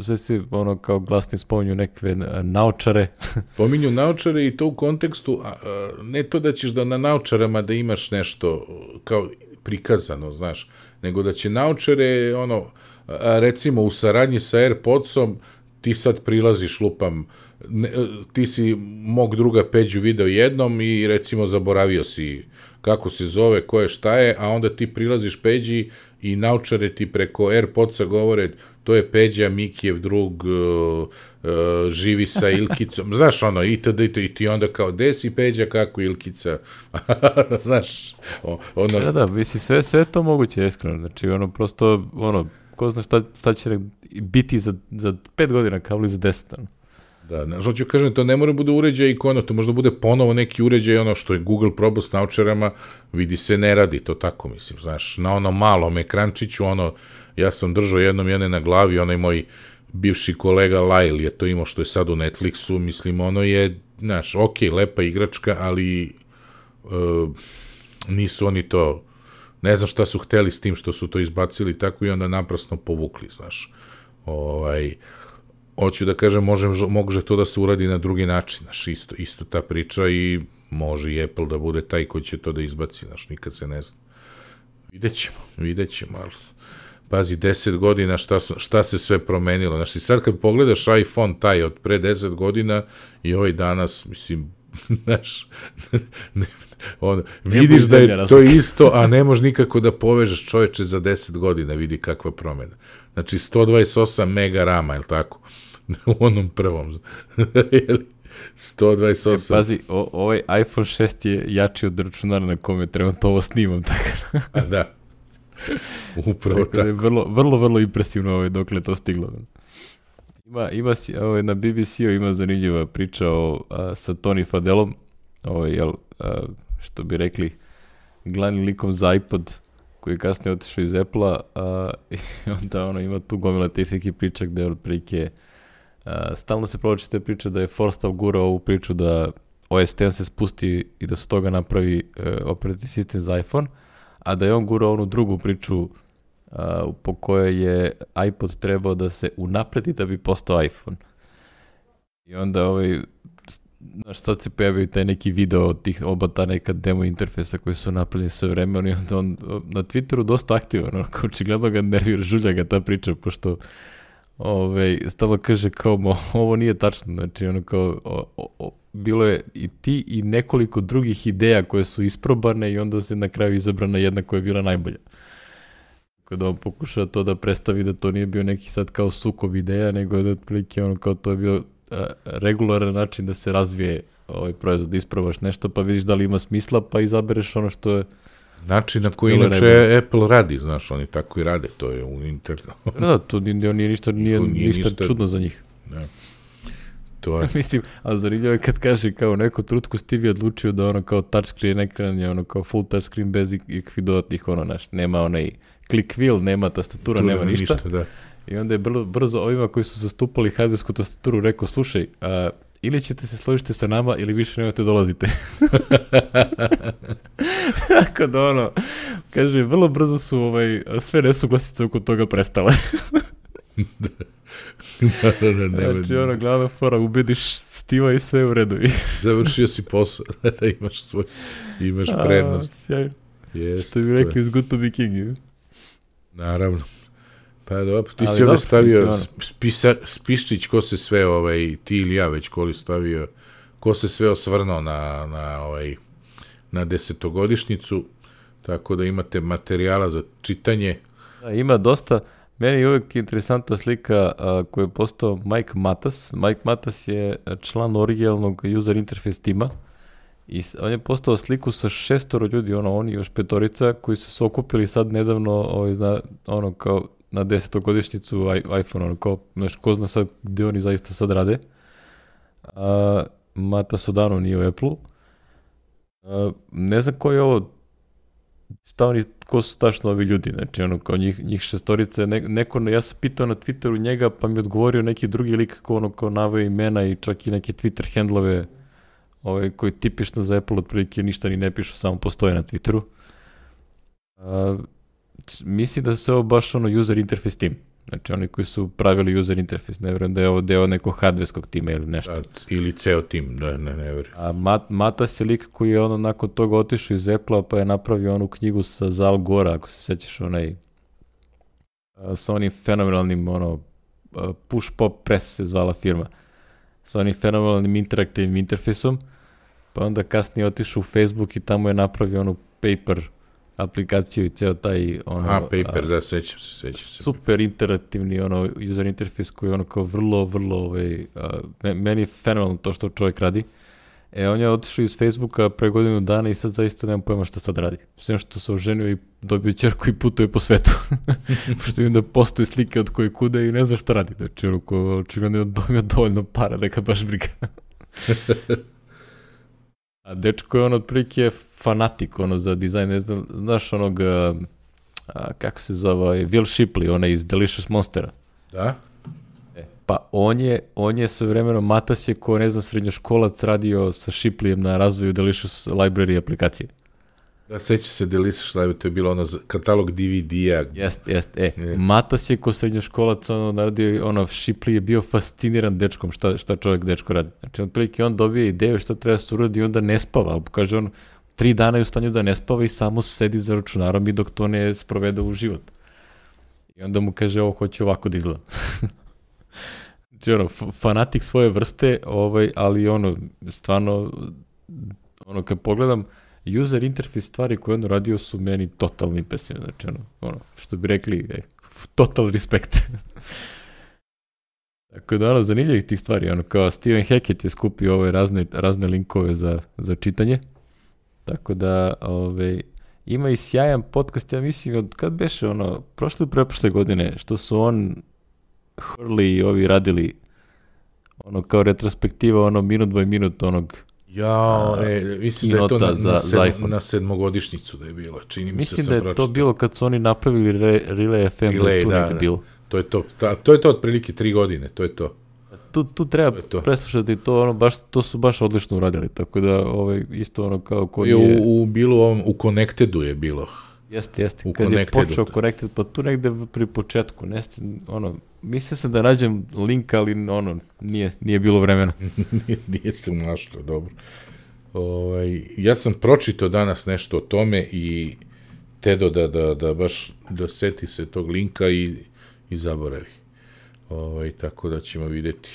sve si, ono, kao glasni spominju neke naočare.
Pominju naočare i to u kontekstu, a, a, ne to da ćeš da na naočarama da imaš nešto kao prikazano, znaš, nego da će naočare, ono, a, recimo u saradnji sa AirPodsom, ti sad prilaziš, lupam, ne, ti si mog druga Peđu video jednom i recimo zaboravio si kako se zove, ko je, šta je, a onda ti prilaziš Peđi i naučare ti preko AirPodsa govore, to je Peđa, Mikijev drug, uh, uh, živi sa Ilkicom, znaš ono, itd. I ti onda kao, gde si Peđa, kako Ilkica, znaš, ono...
Da, da, misli, sve, sve to moguće, iskreno, znači, ono, prosto, ono, ko zna šta, šta će biti za, za pet godina, kao li za deset, ono.
Da, znaš, hoću kažem, to ne mora bude uređaj ikona, to možda bude ponovo neki uređaj, ono što je Google probao s naučarama, vidi se ne radi, to tako mislim, znaš, na ono malom ekrančiću, ono, ja sam držao jednom jedne na glavi, onaj moj bivši kolega Lyle je to imao što je sad u Netflixu, mislim, ono je, znaš, ok, lepa igračka, ali uh, nisu oni to, ne znam šta su hteli s tim što su to izbacili tako i onda naprasno povukli, znaš, ovaj... Hoću da kažem, može, može to da se uradi na drugi način, znaš, isto, isto ta priča i može i Apple da bude taj koji će to da izbaci, znaš, nikad se ne zna. Vidjet ćemo, vidjet ćemo, ali pazi, deset godina šta, šta se sve promenilo, znaš, i sad kad pogledaš iPhone taj od pre deset godina i ovaj danas, mislim, znaš, ne, on, vidiš da je to isto, a ne možeš nikako da povežeš čoveče za deset godina, vidi kakva promena. Znači, sto dvadeset osam mega rama, je li tako? U onom prvom. sto dvadeset osam.
E, pazi, o, ovaj iPhone šest je jači od računara na kome trenutno ovo snimam, tako da.
A da. Upravo tako. tako.
Je vrlo, vrlo, vrlo impresivno ovaj, dokle to stiglo. Ima, ima ovaj, na B B C-u ima zanimljiva priča o, a, sa Tony Fadelom, ovaj, jel, a, što bi rekli, glavnim likom za iPod, koji je kasnije otišao iz Apple-a, a, i onda ono, ima tu gomila tih nekih priča gde od prilike a, stalno se provlači te priče da je Forstall gurao ovu priču da O S X se spusti i da se toga napravi e, operativni sistem za iPhone, a da je on gurao onu drugu priču a, po kojoj je iPod trebao da se unapredi da bi postao iPhone. I onda ovaj, znaš, sad se pojavio taj neki video od tih oba ta neka demo interfejsa koji su napravljeni sve vreme, i onda on na Twitteru dosta aktivan, ono, očigledno ga nervira, žulja ga ta priča, pošto Ove, stalo kaže kao, mo, ovo nije tačno, znači ono kao, o, o, o, bilo je i ti i nekoliko drugih ideja koje su isprobane i onda se na kraju izabrana jedna koja je bila najbolja. Kada on pokušao to da predstavi da to nije bio neki sad kao sukob ideja, nego da otprilike ono kao to je bio a, regularan način da se razvije ovaj proizvod, da isprobaš nešto pa vidiš da li ima smisla pa izabereš ono što je
način na koji inače najbolje. Apple radi, znaš, oni tako i rade, to je u internetu.
Da, to nije, nije ništa, nije, nije ništa, ništa čudno za njih.
Ne. To je.
Mislim, a zanimljivo je kad kaže kao neko trutku Steve je odlučio da ono kao touchscreen ekran je ono kao full touchscreen bez ikakvih dodatnih ono naš, nema onaj click wheel, nema tastatura, tu nema ništa. ništa da. I onda je brzo, brzo ovima koji su zastupali hardwaresku tastaturu rekao, slušaj, a, ili ćete se složiti sa nama ili više nemojte dolazite. Tako da ono, kaže, vrlo brzo su ovaj, sve nesuglasice oko toga prestale.
da, da, da, ne,
znači ono, glavna fora, ubediš Stiva i sve u redu.
Završio si posao, da imaš svoj, imaš prednost.
A, sjajno. Jest, što bi rekli, is good to be king. Je?
Naravno. Pa dobro, ti ali si ovdje stavio ono. spisa, spiščić ko se sve, ovaj, ti ili ja već koli stavio, ko se sve osvrnuo na, na, ovaj, na desetogodišnjicu, tako da imate materijala za čitanje.
Da, ima dosta, meni je uvijek interesantna slika a, koju je postao Mike Matas. Mike Matas je član originalnog user interface tima i on je postao sliku sa šestoro ljudi, ono, oni još petorica koji su se okupili sad nedavno, ovaj, zna, ono, kao na desetogodišnjicu iPhone, ono, kao, znaš, ko zna sad gde oni zaista sad rade. A, Mata Sodano nije u Apple-u. A, ne znam ko je ovo, šta oni, ko su tačno ovi ljudi, znači, ono, kao njih, njih šestorice, ne, neko, ja sam pitao na Twitteru njega, pa mi odgovorio neki drugi lik, kao ono, kao naveo imena i čak i neke Twitter handlove, ovaj, koji tipično za Apple otprilike ništa ni ne pišu, samo postoje na Twitteru. A, mislim da se ovo baš ono user interface tim. Znači oni koji su pravili user interface, ne vjerujem da je ovo deo nekog hardwareskog tima ili nešto.
A, ili ceo tim, da, ne, ne vjerujem.
A Mat, Matas je lik koji je ono nakon toga otišao iz Apple-a pa je napravio onu knjigu sa Zal Gora, ako se sećaš onaj, a, sa onim fenomenalnim ono, push pop press se zvala firma, sa onim fenomenalnim interaktivnim interfejsom, pa onda kasnije otišao u Facebook i tamo je napravio onu paper aplikaciju i ceo taj ono,
a, paper, a, da, sećam se, sećam se.
Super interaktivni ono, user interface koji je ono kao vrlo, vrlo, ovaj, a, meni je fenomenalno to što čovjek radi. E, on je otišao iz Facebooka pre godinu dana i sad zaista nemam pojma šta sad radi. Sve što se oženio i dobio ćerku i putuje po svetu. Pošto im da postoje slike od koje kude i ne zna šta radi. Znači, ono ko očigledno je dobio dovoljno para, neka baš briga. A dečko je on otprilike fanatik ono za dizajn, ne znam, znaš onog, a, a, kako se zove, Will Shipley, onaj iz Delicious Monstera.
Da?
E, pa on je, on je sve vremeno, Matas je ko, ne znam, srednjoškolac radio sa Shipleyem na razvoju Delicious Library aplikacije.
Da, seća se Delicious Library, to je bilo ono katalog D V D-a.
Jest, jest, e, je. Matas je ko srednjoškolac, ono, radio, ono, Shipley je bio fasciniran dečkom, šta, šta čovjek dečko radi. Znači, otprilike on dobije ideju šta treba se uradi i onda ne spava, ali kaže on, tri dana je u stanju da ne spava i samo sedi za računarom i dok to ne sprovede u život. I onda mu kaže, ovo hoće ovako da izgleda. Znači, ono, fanatik svoje vrste, ovaj, ali ono, stvarno, ono, kad pogledam, user interface stvari koje on radio su meni totalno impresivne. Znači, ono, ono, što bi rekli, ej, total respekt. Tako da, ono, zanimljivih tih stvari, ono, kao Stephen Hackett je skupio ove razne, razne linkove za, za čitanje. Tako da, ove, ima i sjajan podcast, ja mislim, od kad beše, ono, prošle i preprošle godine, što su on, Hurley i ovi radili, ono, kao retrospektiva, ono, minut by minut, onog,
ja, e, mislim da je to na, za, na, sedm, na sedmogodišnjicu da je bilo, čini mi
mislim
se
da je
pročitao.
To bilo kad su oni napravili Re, Relay F M,
Relay,
da,
da,
da,
bilo. To je to, ta, to je to otprilike tri godine, to je to.
Tu, tu treba preslušati to, ono, baš, to su baš odlično uradili, tako da ovaj, isto ono kao ko je...
U, u, bilo, u Connectedu je bilo.
Jeste, jeste, u kad Connectedu. Je počeo Connected, pa tu negde pri početku, ne, ono, mislio sam da nađem link, ali ono, nije, nije bilo vremena.
nije, nije se našlo, dobro. Ovaj, ja sam pročitao danas nešto o tome i Tedo da, da, da baš da seti se tog linka i, i zaboravi. ovaj, tako da ćemo vidjeti.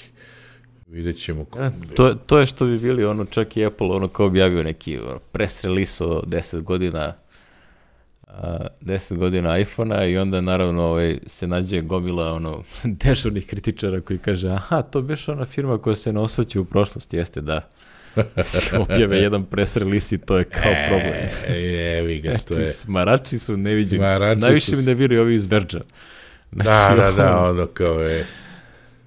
Vidjet ćemo. Ko...
Ja, to, to je što bi bili, ono, čak i Apple, ono, kao objavio neki ono, press release o deset godina a, deset godina iPhona i onda naravno ovaj, se nađe gomila ono, dežurnih kritičara koji kaže, aha, to biš ona firma koja se ne osvrće u prošlosti, jeste da se objave jedan press release i to je kao problem.
E, evi ga, to je.
Smarači su neviđeni. Najviše su... mi ne vjeruju ovi iz Verđa.
Znači, da, da, da, ono kao je.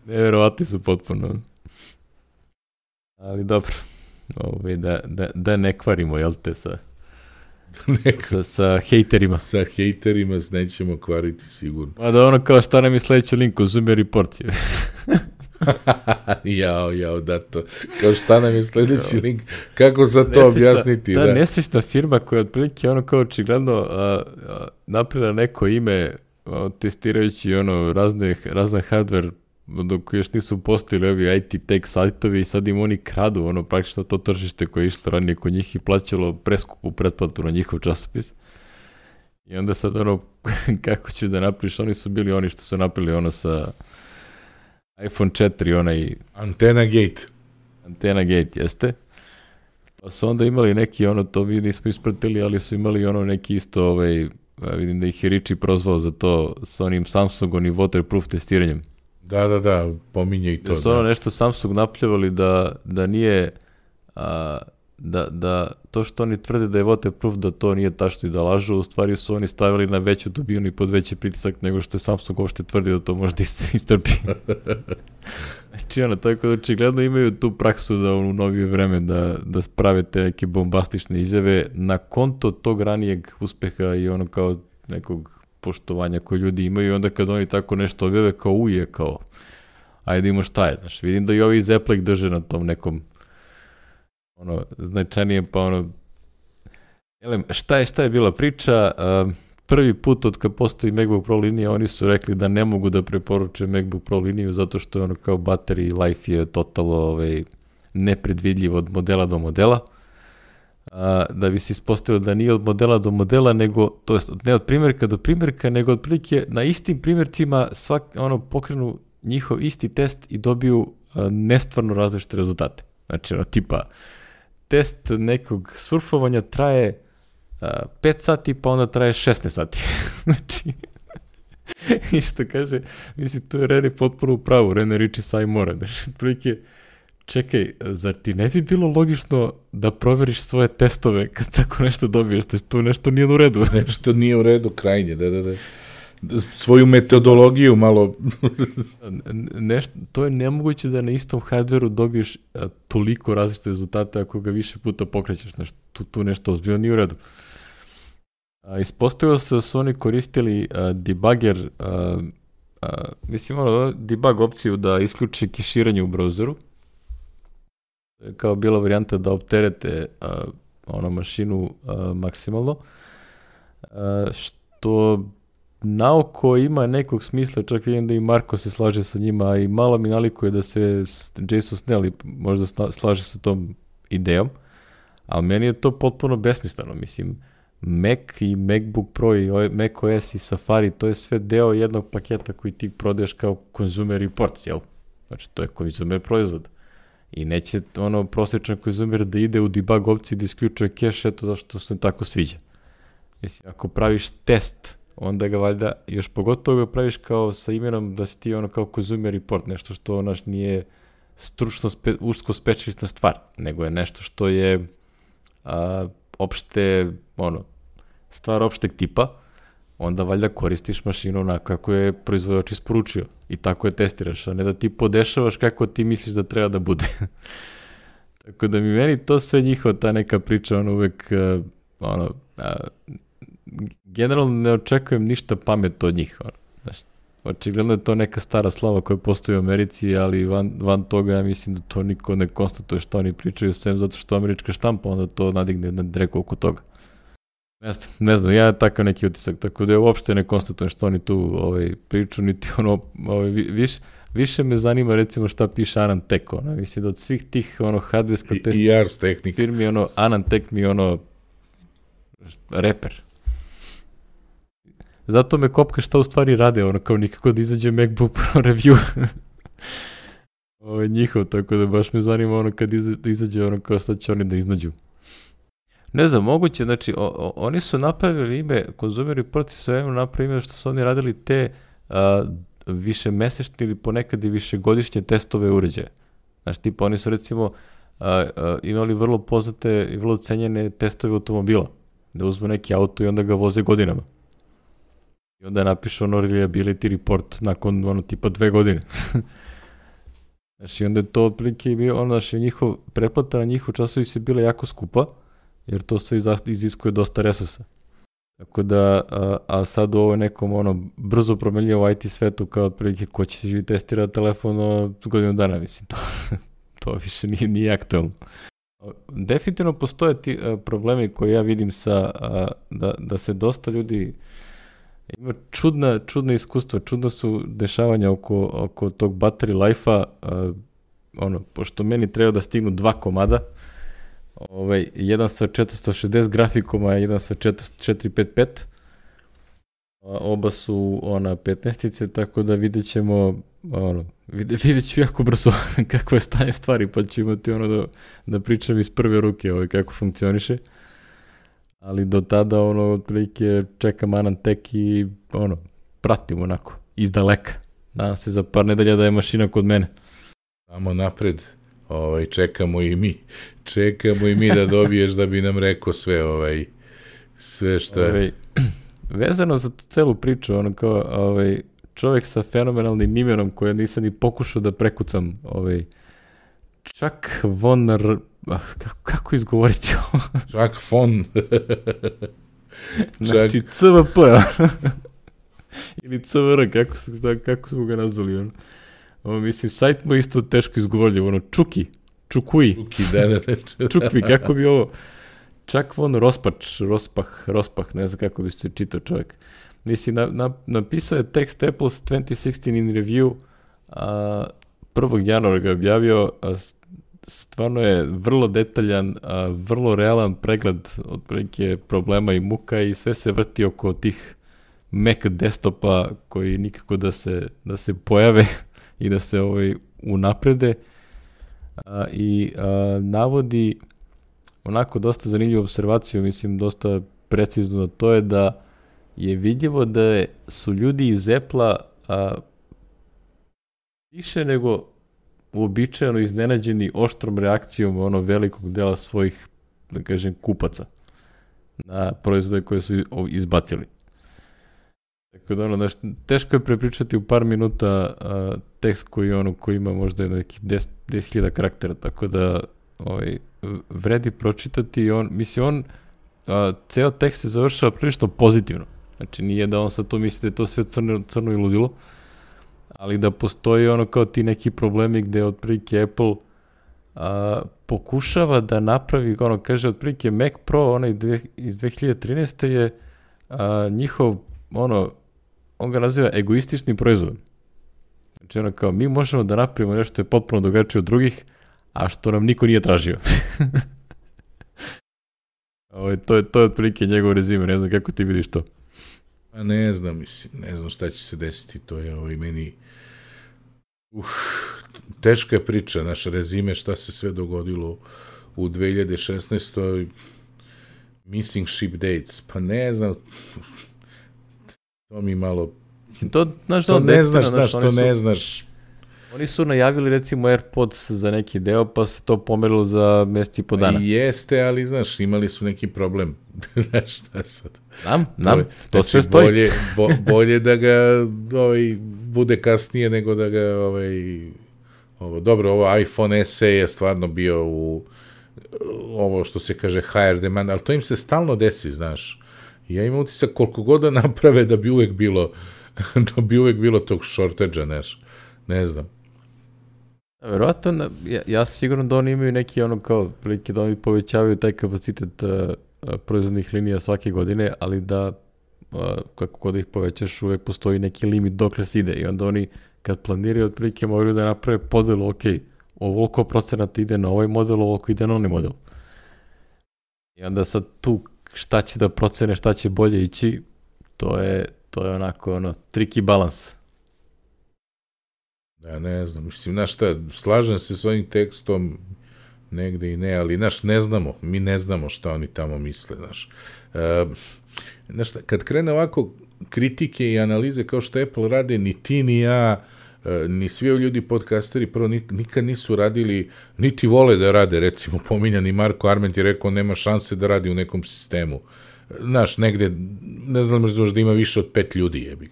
Nevjerovatni su potpuno. Ali dobro, ovaj, da, da, da ne kvarimo, jel te, sa, sa, sa hejterima.
Sa hejterima nećemo kvariti sigurno.
Ma da ono kao šta nam je sledeći link, Consumer Report.
jao, jao, da to. Kao šta nam je sledeći link, kako za to neslična, objasniti?
Ta
da.
neslična firma koja otprilike ono kao očigledno napravila neko ime a, testirajući ono razne, razne hardware dok još nisu postojili ovi I T tech sajtovi i sad im oni kradu ono praktično to tržište koje je išlo ranije kod njih i plaćalo preskupu pretplatu na njihov časopis. I onda sad ono kako ćeš da napraviš, oni su bili oni što su napravili ono sa iPhone četiri, onaj...
Antena Gate.
Antena Gate, jeste. Pa su onda imali neki ono, to mi nismo ispratili, ali su imali ono neki isto ovaj, vidim da ih je Richie prozvao za to sa onim Samsungom i waterproof testiranjem.
Da, da, da, pominje i to.
Da su ono nešto Samsung napljevali da, da nije, a, da, da to što oni tvrde da je waterproof, da to nije tačno i da lažu, u stvari su oni stavili na veću dubinu i pod veći pritisak nego što je Samsung uopšte tvrdio da to može da istrpi. Znači ono, tako da očigledno imaju tu praksu da u novije vreme da, da sprave te neke bombastične izjave na konto tog ranijeg uspeha i ono kao nekog poštovanja koje ljudi imaju i onda kad oni tako nešto objave kao uje, kao ajde imamo šta je, znaš, vidim da i ovi iz Apple drže na tom nekom ono, značajnijem, pa ono jelem, šta je, šta je bila priča, uh, prvi put od kad postoji MacBook Pro linija, oni su rekli da ne mogu da preporuče MacBook Pro liniju zato što je ono kao battery life je totalno ovaj, nepredvidljiv od modela do modela. A, da bi se ispostavilo da nije od modela do modela, nego, to jest ne od primjerka do primjerka, nego otprilike na istim primjercima svak, ono, pokrenu njihov isti test i dobiju a, nestvarno različite rezultate. Znači, ono, tipa, test nekog surfovanja traje a, pet sati, pa onda traje šesnaest sati. Znači, i što kaže, mislim, tu je Rene potpuno u pravu, Rene Riči saj mora. Znači, otprilike, čekaj, zar ti ne bi bilo logično da proveriš svoje testove kad tako nešto dobiješ, da tu nešto nije u redu?
Nešto nije u redu, krajnje, da, da, da. Svoju metodologiju malo...
Nešto, to je nemoguće da na istom hardveru dobiješ a, toliko različite rezultate ako ga više puta pokrećeš, znači, tu, tu nešto ozbiljno nije u redu. A, ispostavilo se da su oni koristili a, debugger, a, a, mislim, ono, debug opciju da isključi keširanje u browseru, kao bila varijanta da opterete a, ono mašinu a, maksimalno, a, što naoko ima nekog smisla, čak vidim da i Marko se slaže sa njima, a i malo mi nalikuje da se Jason Snell možda slaže sa tom idejom, ali meni je to potpuno besmisleno, mislim, Mac i MacBook Pro i macOS i Safari, to je sve deo jednog paketa koji ti prodaješ kao consumer report, jel? Znači, to je consumer proizvod. I neće ono prosječan konzumer da ide u debug opciji da isključuje cache, eto zašto se tako sviđa. Mislim, ako praviš test, onda ga valjda, još pogotovo ga praviš kao sa imenom da si ti ono kao consumer report, nešto što onaš nije stručno, spe, usko specijalista stvar, nego je nešto što je a, opšte, ono, stvar opšteg tipa, onda valjda koristiš mašinu na kako je proizvođač isporučio i tako je testiraš, a ne da ti podešavaš kako ti misliš da treba da bude. Tako da mi meni to sve njihova ta neka priča, ono uvek, uh, ono, uh, generalno ne očekujem ništa pametno od njih. Ono. Znaš, očigledno je to neka stara slava koja postoji u Americi, ali van, van toga ja mislim da to niko ne konstatuje što oni pričaju, sem zato što američka štampa onda to nadigne na dreku oko toga. Ne znam, ne znam, ja takav neki utisak, tako da je uopšte ne konstatujem što oni tu ovaj, priču, niti ono, ovaj, viš, više me zanima recimo šta piše AnandTech, ono, mislim da od svih tih ono, hardware test firmi, ono, AnandTech mi ono, reper. zato me kopka šta u stvari rade, ono kao nikako da izađe MacBook Pro review. Ovo je njihov, tako da baš me zanima ono kad izađe ono kao šta će oni da iznađu. Ne znam, moguće, znači, o, o, oni su napravili ime, Consumer Reports su jedno napravili ime što su oni radili te a, više mesečne ili ponekad i višegodišnje testove uređaja. Znači, tipa, oni su recimo a, a, imali vrlo poznate i vrlo cenjene testove automobila, da uzmu neki auto i onda ga voze godinama. I onda napišu ono reliability report nakon ono tipa dve godine. Znači, onda je to otprilike bio, ono, znači, njihov, pretplata na njihov časovi se bila jako skupa, jer to sve iziskuje dosta resursa. Tako da, a, a sad u ovoj nekom, ono, brzo promenljivo I T svetu, kao otprilike, ko će se živi testirati telefon o godinu dana, mislim, to, to više nije, nije aktualno. Definitivno postoje ti a, problemi koje ja vidim sa, a, da, da se dosta ljudi ima čudna, čudna iskustva, čudna su dešavanja oko, oko tog battery life-a, uh, ono, pošto meni treba da stignu dva komada, ovaj, jedan sa četiristo šezdeset grafikoma, jedan sa četiri pet pet, oba su ona petnaestice, tako da vidjet ćemo, ono, vidjet, vidjet ću jako brzo kako je stanje stvari, pa ću imati ono da, da pričam iz prve ruke ovaj, kako funkcioniše. Ali do tada, ono, otprilike čekam Anantek i, ono, pratim onako, iz daleka. Nadam se za par nedelja da je mašina kod mene.
Samo napred, ovaj, čekamo i mi. Čekamo i mi da dobiješ da bi nam rekao sve, ovaj, sve što je. Ovaj,
vezano za tu celu priču, ono kao, ovaj, čovjek sa fenomenalnim imenom koje nisam ni pokušao da prekucam, ovaj, Chuck von R... Ah, kako, kako izgovoriti ovo?
Chuck von...
znači, C V P, ili C V R, kako, su, kako smo ga nazvali, ono. Ovo, mislim, sajt mu isto teško izgovorljivo, ono, Čuki, Čukuji.
Čuki, da, da, da.
Čukvi, kako bi ovo... Chuck von Rospač, Rospah, Rospah, ne znam kako bi se čitao čovjek. Mislim, na, na, napisao je tekst Apple's twenty sixteen in review, a prvog januara ga objavio, a stvarno je vrlo detaljan, a vrlo realan pregled otprilike problema i muka i sve se vrti oko tih Mac desktopa koji nikako da se, da se pojave i da se ovaj unaprede a, i a, navodi onako dosta zanimljivu observaciju, mislim dosta precizno, to je da je vidljivo da je, su ljudi iz Apple-a a, više nego uobičajeno iznenađeni oštrom reakcijom ono velikog dela svojih, da kažem, kupaca na proizvode koje su izbacili. Tako da ono, znaš, teško je prepričati u par minuta a, tekst koji, ono, koji ima možda neki deset hiljada karaktera, tako da ovaj, vredi pročitati i on, mislim, on a, ceo tekst se završava prilično pozitivno. Znači, nije da on sad to misli da je to sve crno, crno i ludilo, ali da postoji ono kao ti neki problemi gde otprilike Apple a, pokušava da napravi, ono kaže otprilike Mac Pro, onaj dve, iz dve hiljade trinaeste je a, njihov, ono, on ga naziva egoistični proizvod. Znači ono kao, mi možemo da napravimo nešto što je potpuno drugačije od drugih, a što nam niko nije tražio. Ovo, to je, to je otprilike njegov rezime, ne znam kako ti vidiš to.
Pa ne znam, mislim, ne znam šta će se desiti, to je ovo i meni... Uh, teška je priča, naš rezime, šta se sve dogodilo u dve hiljade šesnaestoj missing ship dates, pa ne znam, to mi malo...
To, znaš,
to ne znaš, znaš, to ne znaš.
Oni su najavili recimo AirPods za neki deo, pa se to pomerilo za mesec i po dana.
Jeste, ali znaš, imali su neki problem. Znaš šta sad?
Nam, nam, to, to
znači,
sve stoji.
Bolje, bo, bolje da ga ovaj, bude kasnije nego da ga... Ovaj, ovo, dobro, ovo iPhone S E je stvarno bio u ovo što se kaže higher demand, ali to im se stalno desi, znaš. Ja imam utisak koliko god da naprave da bi uvek bilo da bi uvek bilo tog shortage-a, znaš. Ne znam.
Verovatno, ja, ja sigurno da oni imaju neki ono kao prilike da oni povećavaju taj kapacitet uh, uh, proizvodnih linija svake godine, ali da uh, kako god ih povećaš uvek postoji neki limit dokle se ide i onda oni kad planiraju otprilike moraju da naprave podelu, ok, ovoliko procenata ide na ovaj model, ovoliko ide na onaj model. I onda sad tu šta će da procene, šta će bolje ići, to je, to je onako, ono, tricky balans.
Ja ne znam, mislim, znaš šta, slažem se s ovim tekstom, negde i ne, ali, znaš, ne znamo, mi ne znamo šta oni tamo misle, znaš. E, znaš, kad krene ovako kritike i analize kao što Apple rade, ni ti, ni ja, ni svi ovi ljudi podcasteri prvo nikad nisu radili, niti vole da rade, recimo pominjani Marko Arment je rekao nema šanse da radi u nekom sistemu. Znaš, negde, ne znam razumeš da ima više od pet ljudi jebi.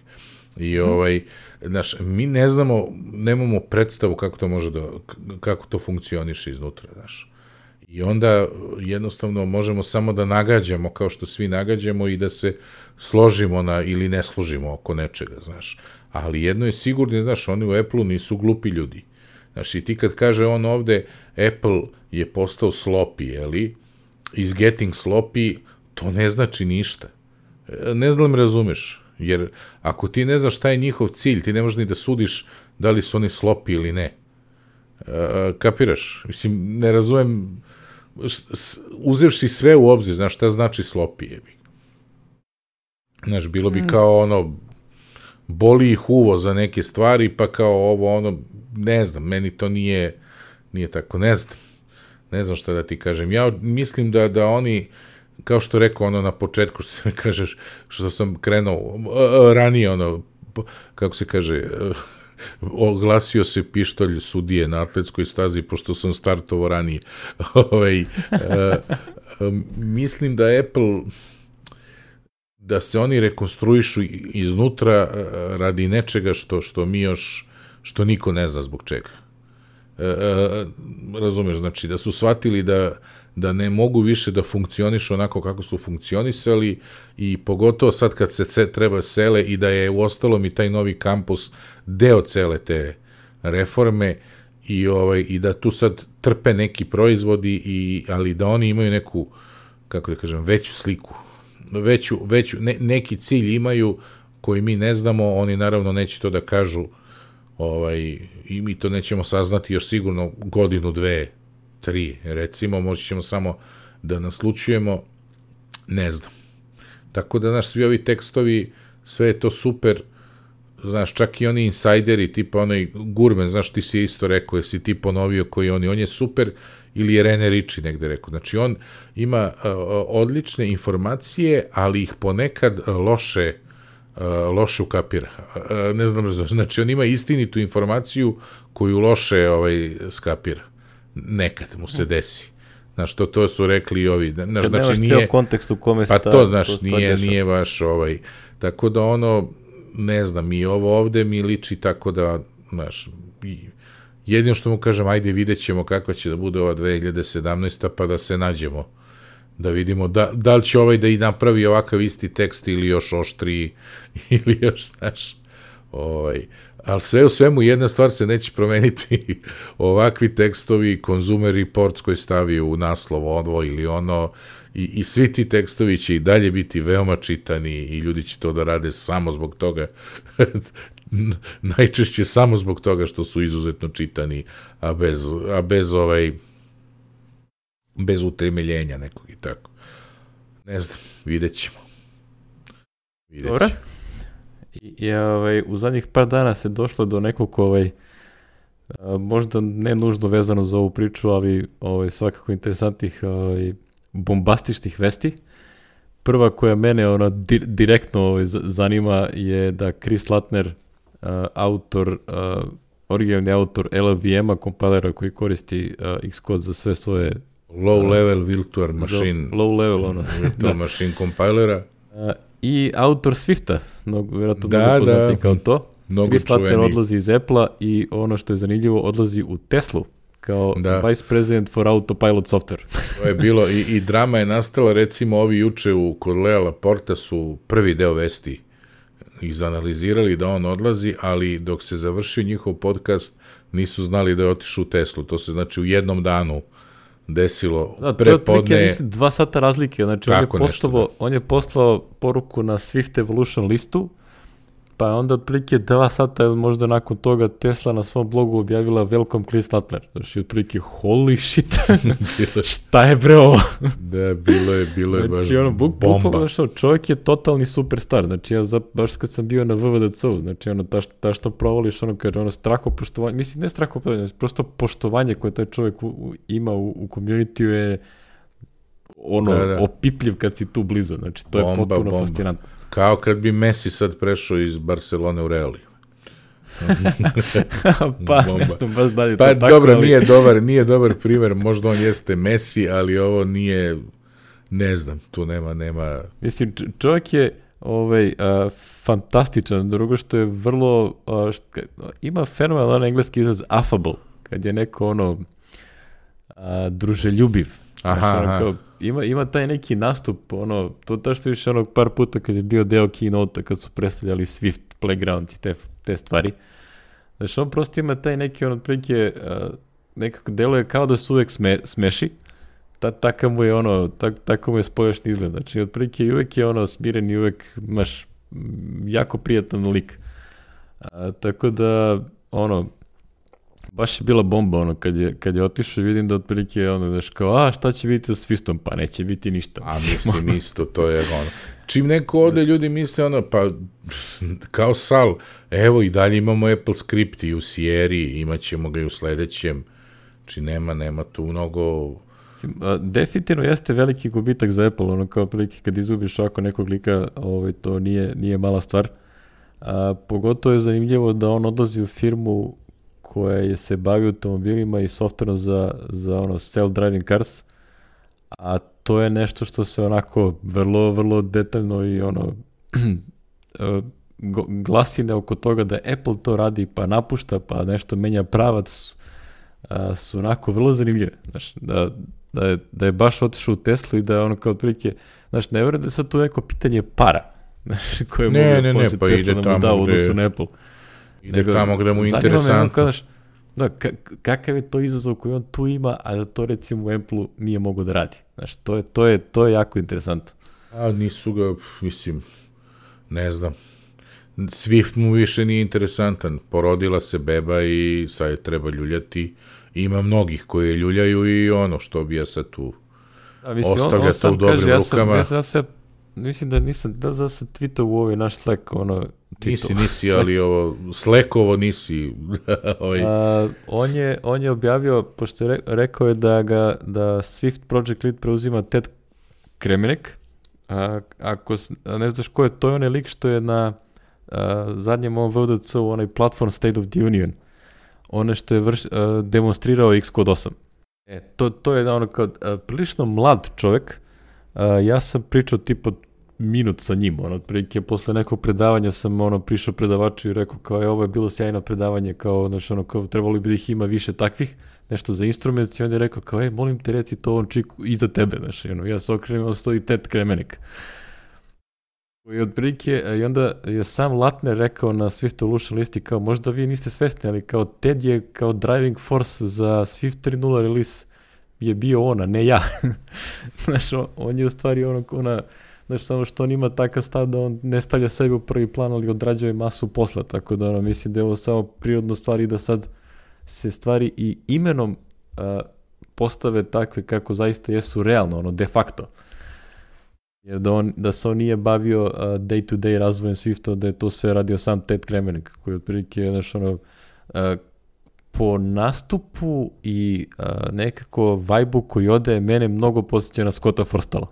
I ovaj, znaš, mi ne znamo, nemamo predstavu kako to može da, kako to funkcioniše iznutra, znaš. I onda jednostavno možemo samo da nagađamo kao što svi nagađamo i da se složimo na, ili ne složimo oko nečega, znaš. Ali jedno je sigurno, znaš, oni u Apple-u nisu glupi ljudi. Znaš, i ti kad kaže on ovde, Apple je postao sloppy, jeli, is getting sloppy, to ne znači ništa. Ne znam li razumeš, jer ako ti ne znaš šta je njihov cilj, ti ne možeš ni da sudiš da li su oni sloppy ili ne. E, kapiraš? Mislim, ne razumem, uzevši sve u obzir, znaš, šta znači sloppy, jebi. Znaš, bilo bi kao ono, boli ih uvo za neke stvari, pa kao ovo, ono, ne znam, meni to nije, nije tako, ne znam, ne znam šta da ti kažem. Ja mislim da, da oni, kao što rekao ono na početku, što mi kažeš, što sam krenuo ranije, ono, kako se kaže, oglasio se pištolj sudije na atletskoj stazi, pošto sam startovao ranije. Ovaj, mislim da Apple, da se oni rekonstruišu iznutra radi nečega što, što mi još, što niko ne zna zbog čega. E, e, razumeš, znači da su shvatili da, da ne mogu više da funkcionišu onako kako su funkcionisali i pogotovo sad kad se ce, treba sele i da je u ostalom i taj novi kampus deo cele te reforme i, ovaj, i da tu sad trpe neki proizvodi, i, ali da oni imaju neku, kako da kažem, veću sliku, veću, veću ne, neki cilj imaju koji mi ne znamo, oni naravno neće to da kažu, ovaj, i mi to nećemo saznati još sigurno godinu, dve, tri, recimo, moći ćemo samo da naslučujemo, ne znam. Tako da, znaš, svi ovi tekstovi, sve je to super, znaš, čak i oni insajderi, tipa onaj Gurman, znaš, ti si isto rekao, jesi ti ponovio koji oni, on je super, ili je Rene Ritchie negde rekao. Znači, on ima uh, odlične informacije, ali ih ponekad loše Uh, loše ukapira. Uh, ne znam, znači on ima istinitu informaciju koju loše ovaj, skapira. Nekad mu se desi. Znaš, to, to su rekli i ovi. Znaš,
kad
znači,
nemaš
nije,
cijel kontekst u kome se
pa
ta,
to, znaš,
to
nije, nije baš ovaj, tako da ono, ne znam, i ovo ovde mi liči tako da, znaš, jedino što mu kažem, ajde vidjet ćemo kakva će da bude ova dve hiljade sedamnaesta pa da se nađemo, da vidimo da, da li će ovaj da i napravi ovakav isti tekst ili još oštri ili još, znaš, ovaj, ali sve u svemu jedna stvar se neće promeniti, ovakvi tekstovi, Consumer Reports koji stavi u naslov ovo ili ono, i, i svi ti tekstovi će i dalje biti veoma čitani i ljudi će to da rade samo zbog toga, najčešće samo zbog toga što su izuzetno čitani, a bez, a bez ovaj bez utemeljenja nekog i tako. Ne znam, vidjet ćemo. Vidjet
Dobro. I, ovaj, u zadnjih par dana se došlo do nekog, ovaj, možda ne nužno vezano za ovu priču, ali ovaj, svakako interesantnih ovaj, bombastičnih vesti. Prva koja mene ona, di, direktno ovaj, zanima je da Chris Lattner, uh, autor, uh, originalni autor L L V M-a, kompilera koji koristi uh, Xcode za sve svoje
low level virtual machine,
low level ono
virtual machine compilera,
uh, i autor Swifta, mnogo vjerojatno
da,
mnogo poznati
da,
kao to. Chris Lattner odlazi iz Apple-a i ono što je zanimljivo, odlazi u Teslu kao da. Vice President for Autopilot Software.
To je bilo i, i drama je nastala, recimo ovi juče u kod Lea Laporta su prvi deo vesti izanalizirali da on odlazi, ali dok se završio njihov podcast nisu znali da je otišao u Teslu. To se znači u jednom danu desilo
da,
prepodne.
To je otprilike, mislim, dva sata razlike. Znači, on je, poslao, on je poslao poruku na Swift Evolution listu pa onda otprilike dva sata možda nakon toga Tesla na svom blogu objavila welcome Chris Lattner. Znači, otprilike, holy shit, šta je bre ovo?
Da, bilo je, bilo je baš
znači, ono, buk,
bomba.
Bukvalno, što, čovjek je totalni superstar. Znači, ja za, baš kad sam bio na V V D C-u, znači, ono, ta, ta što provališ, ono, kaže, ono, strahopoštovanje, mislim, ne strahopoštovanje, prosto poštovanje koje taj čovjek u, u, ima u, u community-u je ono, da, da. opipljiv kad si tu blizu. Znači, to bomba, je potpuno bomba. Fascinantno.
Kao kad bi Messi sad prešao iz Barcelone u Real.
pa, bomba. Ne znam baš dalje.
Pa,
to
dobro,
tako, ali...
nije dobar, nije dobar primjer, možda on jeste Messi, ali ovo nije, ne znam, tu nema, nema...
Mislim, čovjek je ovaj, uh, fantastičan, drugo što je vrlo, uh, što, ima fenomenalan engleski izraz affable, kad je neko ono uh, druželjubiv.
Aha,
znači, ono,
aha.
kao, ima, ima taj neki nastup, ono, to da što više onog par puta kad je bio deo keynote-a, kad su predstavljali Swift, Playground i te, te stvari. Znači, on prosto ima taj neki, on otprilike, uh, nekako deluje kao da se uvek sme, smeši, Ta, tako mu je ono, tak, tako mu je spoljašnji izgled. Znači, otprilike i uvek je ono smiren i uvek imaš jako prijatan lik. A, tako da, ono, baš je bila bomba, ono, kad je, kad je otišao i vidim da otprilike, ono, daš kao, a, šta će biti sa Swistom? Pa neće biti ništa.
A mislim isto, to je ono. Čim neko ode, ljudi misle, ono, pa, kao Sal, evo i dalje imamo Apple Script i u Sierri, imat ćemo ga i u sledećem. Znači, nema, nema tu mnogo...
Definitivno jeste veliki gubitak za Apple, ono kao prilike kad izgubiš ovako nekog lika, ovaj, to nije, nije mala stvar. A, pogotovo je zanimljivo da on odlazi u firmu koja je se bavi automobilima i softverom za, za ono self-driving cars, a to je nešto što se onako vrlo, vrlo detaljno i ono glasine oko toga da Apple to radi pa napušta, pa nešto menja pravac, a, su onako vrlo zanimljive. Znaš, da Da je, da je baš otišao u Teslu i da je ono kao otprilike, znaš, ne vjerujem da je sad to neko pitanje para, znaš, koje
ne,
mogu
ne, ne, pa
Tesla da mu da u odnosu na Apple.
Ide nego, tamo gde mu je interesantno.
Kao, znaš, da, kakav je to izazov koji on tu ima, a da to recimo u Apple-u nije mogo da radi. Znaš, to je, to je, to je jako interesantno.
A nisu ga, mislim, ne znam. Swift mu više nije interesantan. Porodila se beba i sad je treba ljuljati. Ima mnogih koji je ljuljaju i ono što bi ja sad tu ostavlja to u dobrim
kaže,
rukama.
Ja sam, ja sam, mislim da nisam, da za sam tweetao u ovaj naš Slack, ono... Tweetao.
Nisi, nisi, Slack. Ali ovo, Slackovo nisi. ovaj.
A, on, je, on je objavio, pošto je rekao je da ga, da Swift Project Lead preuzima Ted Kremenek. A, ako ne znaš ko je, to je onaj lik što je na a, zadnjem ovom V D C-u, onaj Platform State of the Union. Ono što je vrš, uh, demonstrirao Xcode osam. E, to, to je ono kao uh, prilično mlad čovjek. Uh, ja sam pričao tipa minut sa njim. Ono, otprilike posle nekog predavanja sam ono prišao predavaču i rekao kao je ovo je bilo sjajno predavanje, kao, znači, ono, kao trebalo bi da ih ima više takvih, nešto za instrument, i on je rekao kao ej, molim te reci to ovom čiku iza tebe. Znači, ono, ja se okrenem, on stoji Ted Kremenek. I otprilike, i onda je sam Lattner rekao na Swift Evolution listi kao možda vi niste svesni, ali kao Ted je kao driving force za Swift tri nula release je bio ona, ne ja. Znaš, on, on je u stvari ono, ona, znaš, samo što on ima takav stav da on ne stavlja sebe u prvi plan, ali odrađuje masu posla, tako da ono, mislim da je ovo samo prirodno stvari da sad se stvari i imenom a, postave takve kako zaista jesu realno, ono, de facto. Jer da, on, da se on nije bavio uh, day-to-day razvojem Swifta, da je to sve radio sam Ted Kremenek, koji otprilike, znaš, ono, uh, po nastupu i uh, nekako vibe-u koji ode, mene mnogo posjeća na Scotta Forstalla.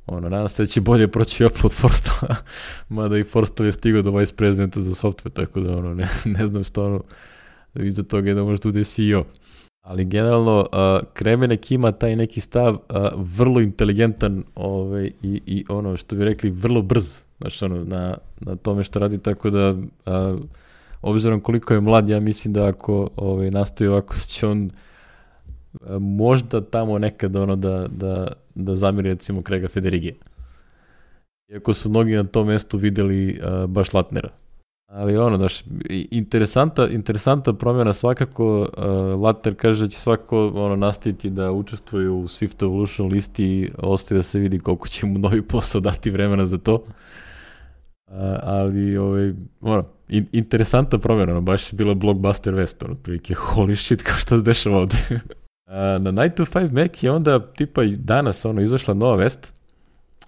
Ono, nadam se da će bolje proći upload Forstalla, mada i Forstall je stigao do vice prezidenta za software, tako da, ono, ne, ne znam što, ono, iza toga je da možda bude C E O. Ali generalno, uh, Kremenek ima taj neki stav uh, vrlo inteligentan ovaj, i, i ono što bi rekli vrlo brz, znači ono, na, na tome što radi, tako da uh, obzirom koliko je mlad, ja mislim da ako ovaj, nastoji ovako će on uh, možda tamo nekad ono da, da, da zamiri recimo Craiga Federigija. Iako su mnogi na tom mestu videli uh, baš Lattnera. Ali ono, daš, interesanta, interesanta promjena svakako, uh, Lattner kaže da će svakako ono, nastaviti da učestvuje u Swift Evolution listi i ostaje da se vidi koliko će mu novi posao dati vremena za to. Uh, ali ovaj, ono, in, interesantna promjena, ono, baš je bila blockbuster vest, ono, prilike, holy shit, kao što se dešava ovde. A, na nine to five Mac je onda, tipa, danas, ono, izašla nova vest,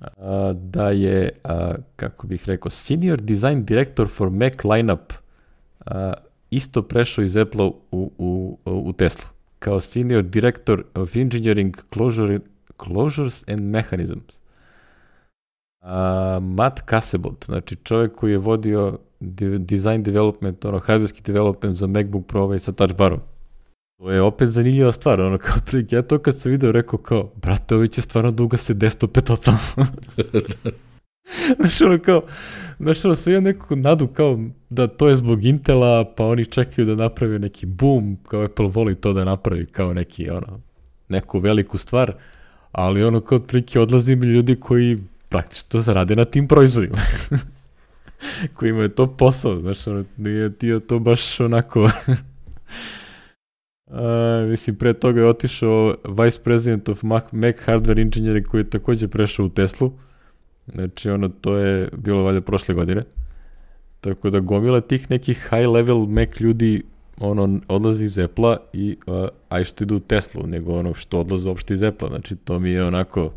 a, da je, a, kako bih rekao, Senior Design Director for Mac Lineup a, isto prešao iz Apple u, u, u Tesla, kao Senior Director of Engineering Closure, Closures and Mechanisms. A, Matt Casebolt, znači čovjek koji je vodio de, design development, ono, hardwarski development za MacBook Pro ovaj sa touch barom. To je opet zanimljiva stvar, ono, kao prilike, ja to kad sam video rekao kao, brate, ovi će stvarno duga se desktope totalno. Znaš, ono, kao, znaš, ono, sve imam nekako nadu, kao, da to je zbog Intela, pa oni čekaju da napravi neki boom, kao Apple voli to da napravi, kao neki, ono, neku veliku stvar, ali ono, kao, prilike, odlazi mi ljudi koji praktično zarade na tim proizvodima. koji imaju to posao, znaš, ono, nije ti to baš onako... Uh, mislim, pre toga je otišao Vice President of Mac, Mac Hardware Engineering koji je također prešao u Teslu. Znači, ono, to je bilo valjda prošle godine. Tako da gomila tih nekih high level Mac ljudi ono, odlazi iz Apple-a i uh, aj što idu u Teslu, nego ono što odlaze uopšte iz Apple-a. Znači, to mi je onako...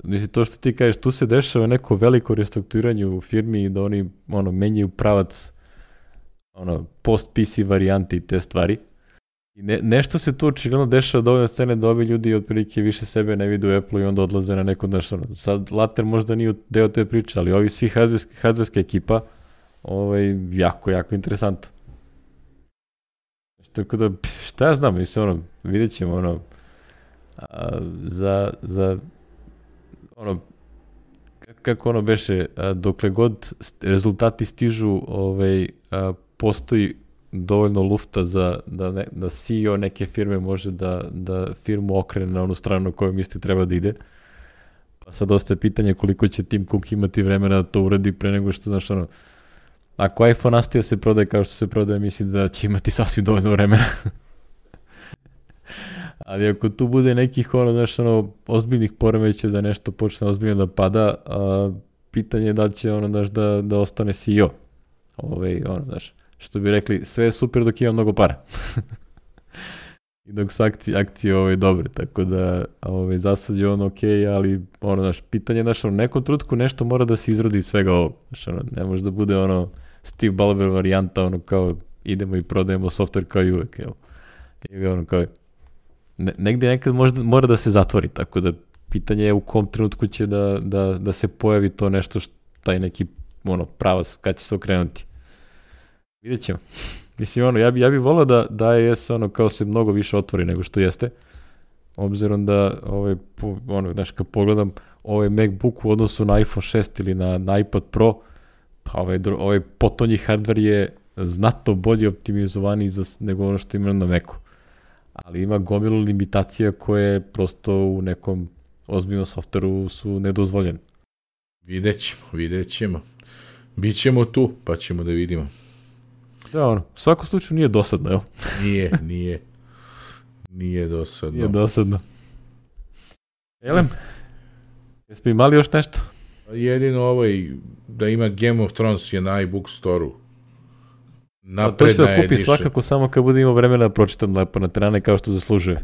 Mislim, to što ti kažeš, tu se dešava neko veliko restrukturiranje u firmi i da oni ono, menjaju pravac ono, post-P C varijanti i te stvari. I ne, nešto se tu očigledno dešava od ove scene da ovi ljudi otprilike više sebe ne vide u Apple i onda odlaze na neko nešto. Sad Later možda nije deo te priče, ali ovi svi hardwareska ekipa ovaj, jako, jako interesant. Tako da, šta ja znam, mislim, ono, vidjet ćemo, ono, a, za, za, ono, kako ono beše, a, dokle god rezultati stižu, ovaj, a, postoji dovoljno lufta za da, ne, da C E O neke firme može da, da firmu okrene na onu stranu koju misli treba da ide. Pa sad ostaje pitanje koliko će Tim Cook imati vremena da to uradi pre nego što, znaš, ono, ako iPhone nastaje se prodaje kao što se prodaje, mislim da će imati sasvim dovoljno vremena. Ali ako tu bude nekih, ono, znaš, ono, ozbiljnih poremeća da nešto počne ozbiljno da pada, a, pitanje je da će, ono, znaš, da, da ostane C E O. Ove, ono, znaš, što bi rekli, sve je super dok ima mnogo para. I dok su akcije, akcije ove, dobre, tako da ove, za sad je ono ok, ali ono, znaš, pitanje je, znaš, u nekom trutku nešto mora da se izrodi iz svega ovog. Znaš, ono, ne može da bude ono Steve Ballmer varijanta, ono kao idemo i prodajemo software kao i uvek, jel? I ono kao, ne, negdje nekad možda, mora da se zatvori, tako da pitanje je u kom trenutku će da, da, da se pojavi to nešto, što, taj neki ono, pravac, kad će se okrenuti. Vidjet ćemo. Mislim, ono, ja bi, ja bi volao da, da je se ono kao se mnogo više otvori nego što jeste, obzirom da, ovaj, po, ono, znaš, kad pogledam ovaj MacBook u odnosu na iPhone šest ili na, na iPad Pro, pa ovaj, ovaj potonji hardware je znatno bolje optimizovaniji za, nego ono što ima na Macu. Ali ima gomilu limitacija koje prosto u nekom ozbiljnom softveru su nedozvoljene.
Vidjet ćemo, vidjet ćemo. Bićemo tu, pa ćemo da vidimo.
Da, ono, u svakom slučaju nije dosadno, jel?
Nije, nije. Nije dosadno.
Nije dosadno. Elem, jesmo imali još nešto?
Jedino ovaj, da ima Game of Thrones je na iBook Store-u.
A to ću da kupi svakako samo kad bude imao vremena da pročitam lepo na terane kao što zaslužuje.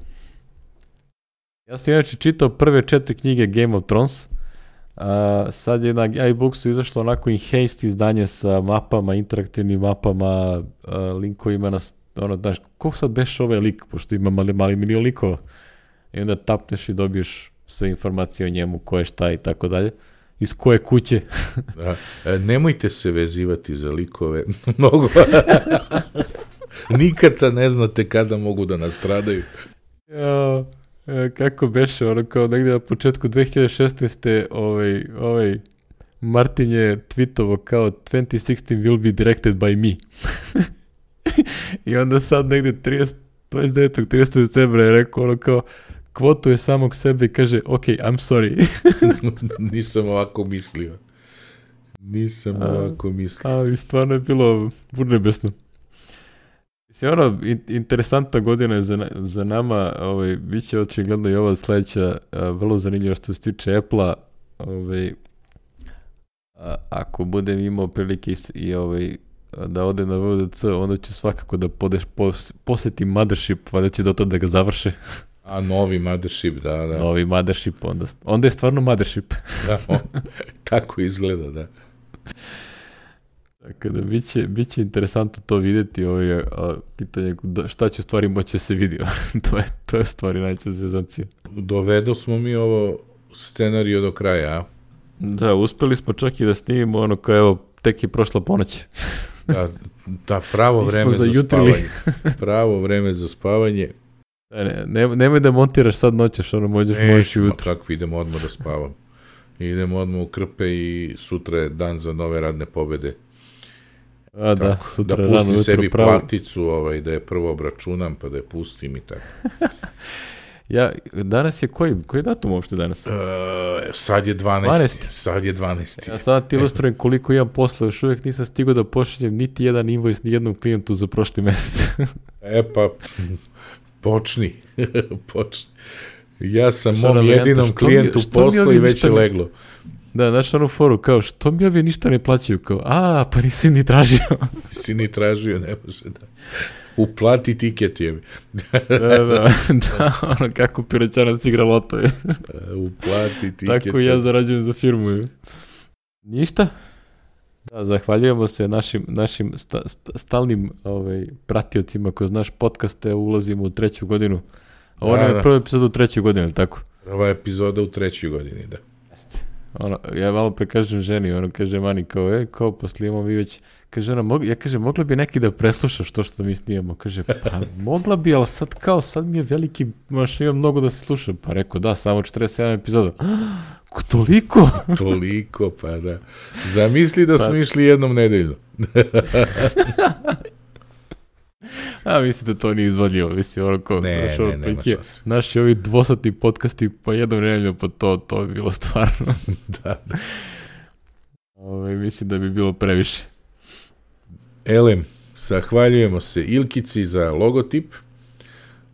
Ja sam inače čitao prve četiri knjige Game of Thrones. A, sad je na iBooksu izašlo onako enhanced izdanje sa mapama, interaktivnim mapama, a, linkovima na, ono, znaš, ko sad beš ovaj lik, pošto ima mali, mali milion likova. I onda tapneš i dobiješ sve informacije o njemu, ko je šta i tako dalje. Iz koje kuće.
Da. E, nemojte se vezivati za likove. Mnogo. Nikada ne znate kada mogu da nastradaju.
Ja, kako beše, ono kao negdje na početku dve hiljade šesnaeste. ovaj, ovaj Martin je tweetovo kao twenty sixteen will be directed by me. I onda sad negdje dvadeset devetog tridesetog decembra je rekao ono kao kvotuje samog sebe i kaže, ok, I'm sorry.
Nisam ovako mislio. Nisam A, ovako mislio.
Ali stvarno je bilo urnebesno. Mislim, ono, in, interesantna godina je za, za nama, ovaj, bit će očigledno i ova sledeća a, vrlo zanimljiva što se tiče Apple-a. Ovaj, A, ako budem imao prilike i, i ovaj, da ode na V D C, onda ću svakako da podeš, pos, posjetim Mothership, valjda će do toga da ga završe.
A novi Mothership, da, da.
Novi Mothership, onda, onda je stvarno Mothership.
Da, on, tako izgleda, da.
Tako da, bit će, bit će interesantno to vidjeti, ovaj, a, pitanje šta će u stvari moći se vidi. to, je, to je stvari najčešće zezancija.
Dovedo smo mi ovo scenariju do kraja, a?
Da, uspeli smo čak i da snimimo ono kao, evo, tek je prošla ponoć.
da, da, pravo vreme za spavanje. Pravo vreme za spavanje.
Ne, ne, nemoj da montiraš sad noćeš, ono možeš možeš jutro.
Kako idemo odmah da spavam. Idemo odmah u krpe i sutra je dan za nove radne pobede.
A da, tako, sutra
da pustim jutro, sebi pravo. Platicu, ovaj, da je prvo obračunam, pa da je pustim i tako.
Ja, danas je koji, koji datum uopšte danas?
Uh, sad je dvanaesti. Sad je dvanaesti.
Ja sad ti ilustrujem koliko imam posla, još uvijek nisam stigao da pošaljem niti jedan invoice ni jednom klijentu za prošli mesec.
E pa, počni, počni. Ja sam što mom jedinom klijentu posla i već je leglo.
Da, znaš onu foru, kao, što mi ovi ništa ne plaćaju? Kao, a, pa nisi ni tražio.
Nisi ni tražio, ne može da. Uplati tiket je.
da, da, da, ono kako piroćanac igra loto je.
Uplati tiket.
Tako ja zarađujem za firmu je. Ništa. Da, zahvaljujemo se našim, našim sta, sta, stalnim ovaj, pratiocima kroz naš podcast, ulazimo u treću godinu. Ovo nam je prva epizoda u trećoj godini, ali tako?
Prva epizoda u trećoj godini, da.
Jeste. Ono, ja malo prekažem ženi, ono kaže Mani kao, e, kao posle imamo mi već, kaže ona, mog, ja kaže, mogla bi neki da preslušaš to što mi snijemo, kaže, pa mogla bi, ali sad kao, sad mi je veliki, maš, imam mnogo da se sluša, pa rekao, da, samo četrdeset sedam epizoda, toliko?
Toliko, pa da, zamisli da pa... smo išli jednom nedeljno.
A mislim da to nije izvodljivo, mislim, ono kao,
ne, naš, ne, nema šanse.
Naši ovi dvosatni podcasti, pa jednom nedeljno, pa to, to bi bilo stvarno.
da, da.
Ove, mislim da bi bilo previše.
Elem, zahvaljujemo se Ilkici za logotip,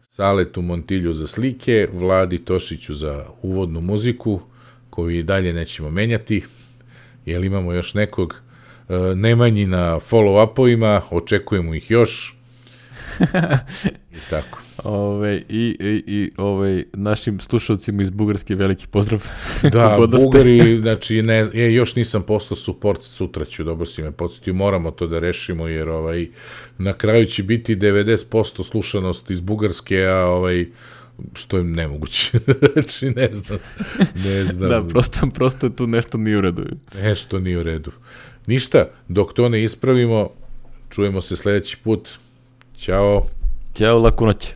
Saletu Montilju za slike, Vladi Tošiću za uvodnu muziku, koju i dalje nećemo menjati, jer imamo još nekog uh, Nemanji na follow-upovima, očekujemo ih još. I tako.
Ove, i, i, i ove, našim slušalcima iz Bugarske veliki pozdrav.
Da, Bugari, znači, ne, je, još nisam poslao support, sutra ću, dobro si me podsjetio, moramo to da rešimo, jer ovaj, na kraju će biti devedeset posto slušanost iz Bugarske, a ovaj, što je nemoguće. Znači, ne znam. Ne znam.
Da, prosto, prosto tu nešto nije u redu.
Nešto nije u redu. Ništa, dok to ne ispravimo, čujemo se sledeći put. Ćao.
Ćao, laku noć.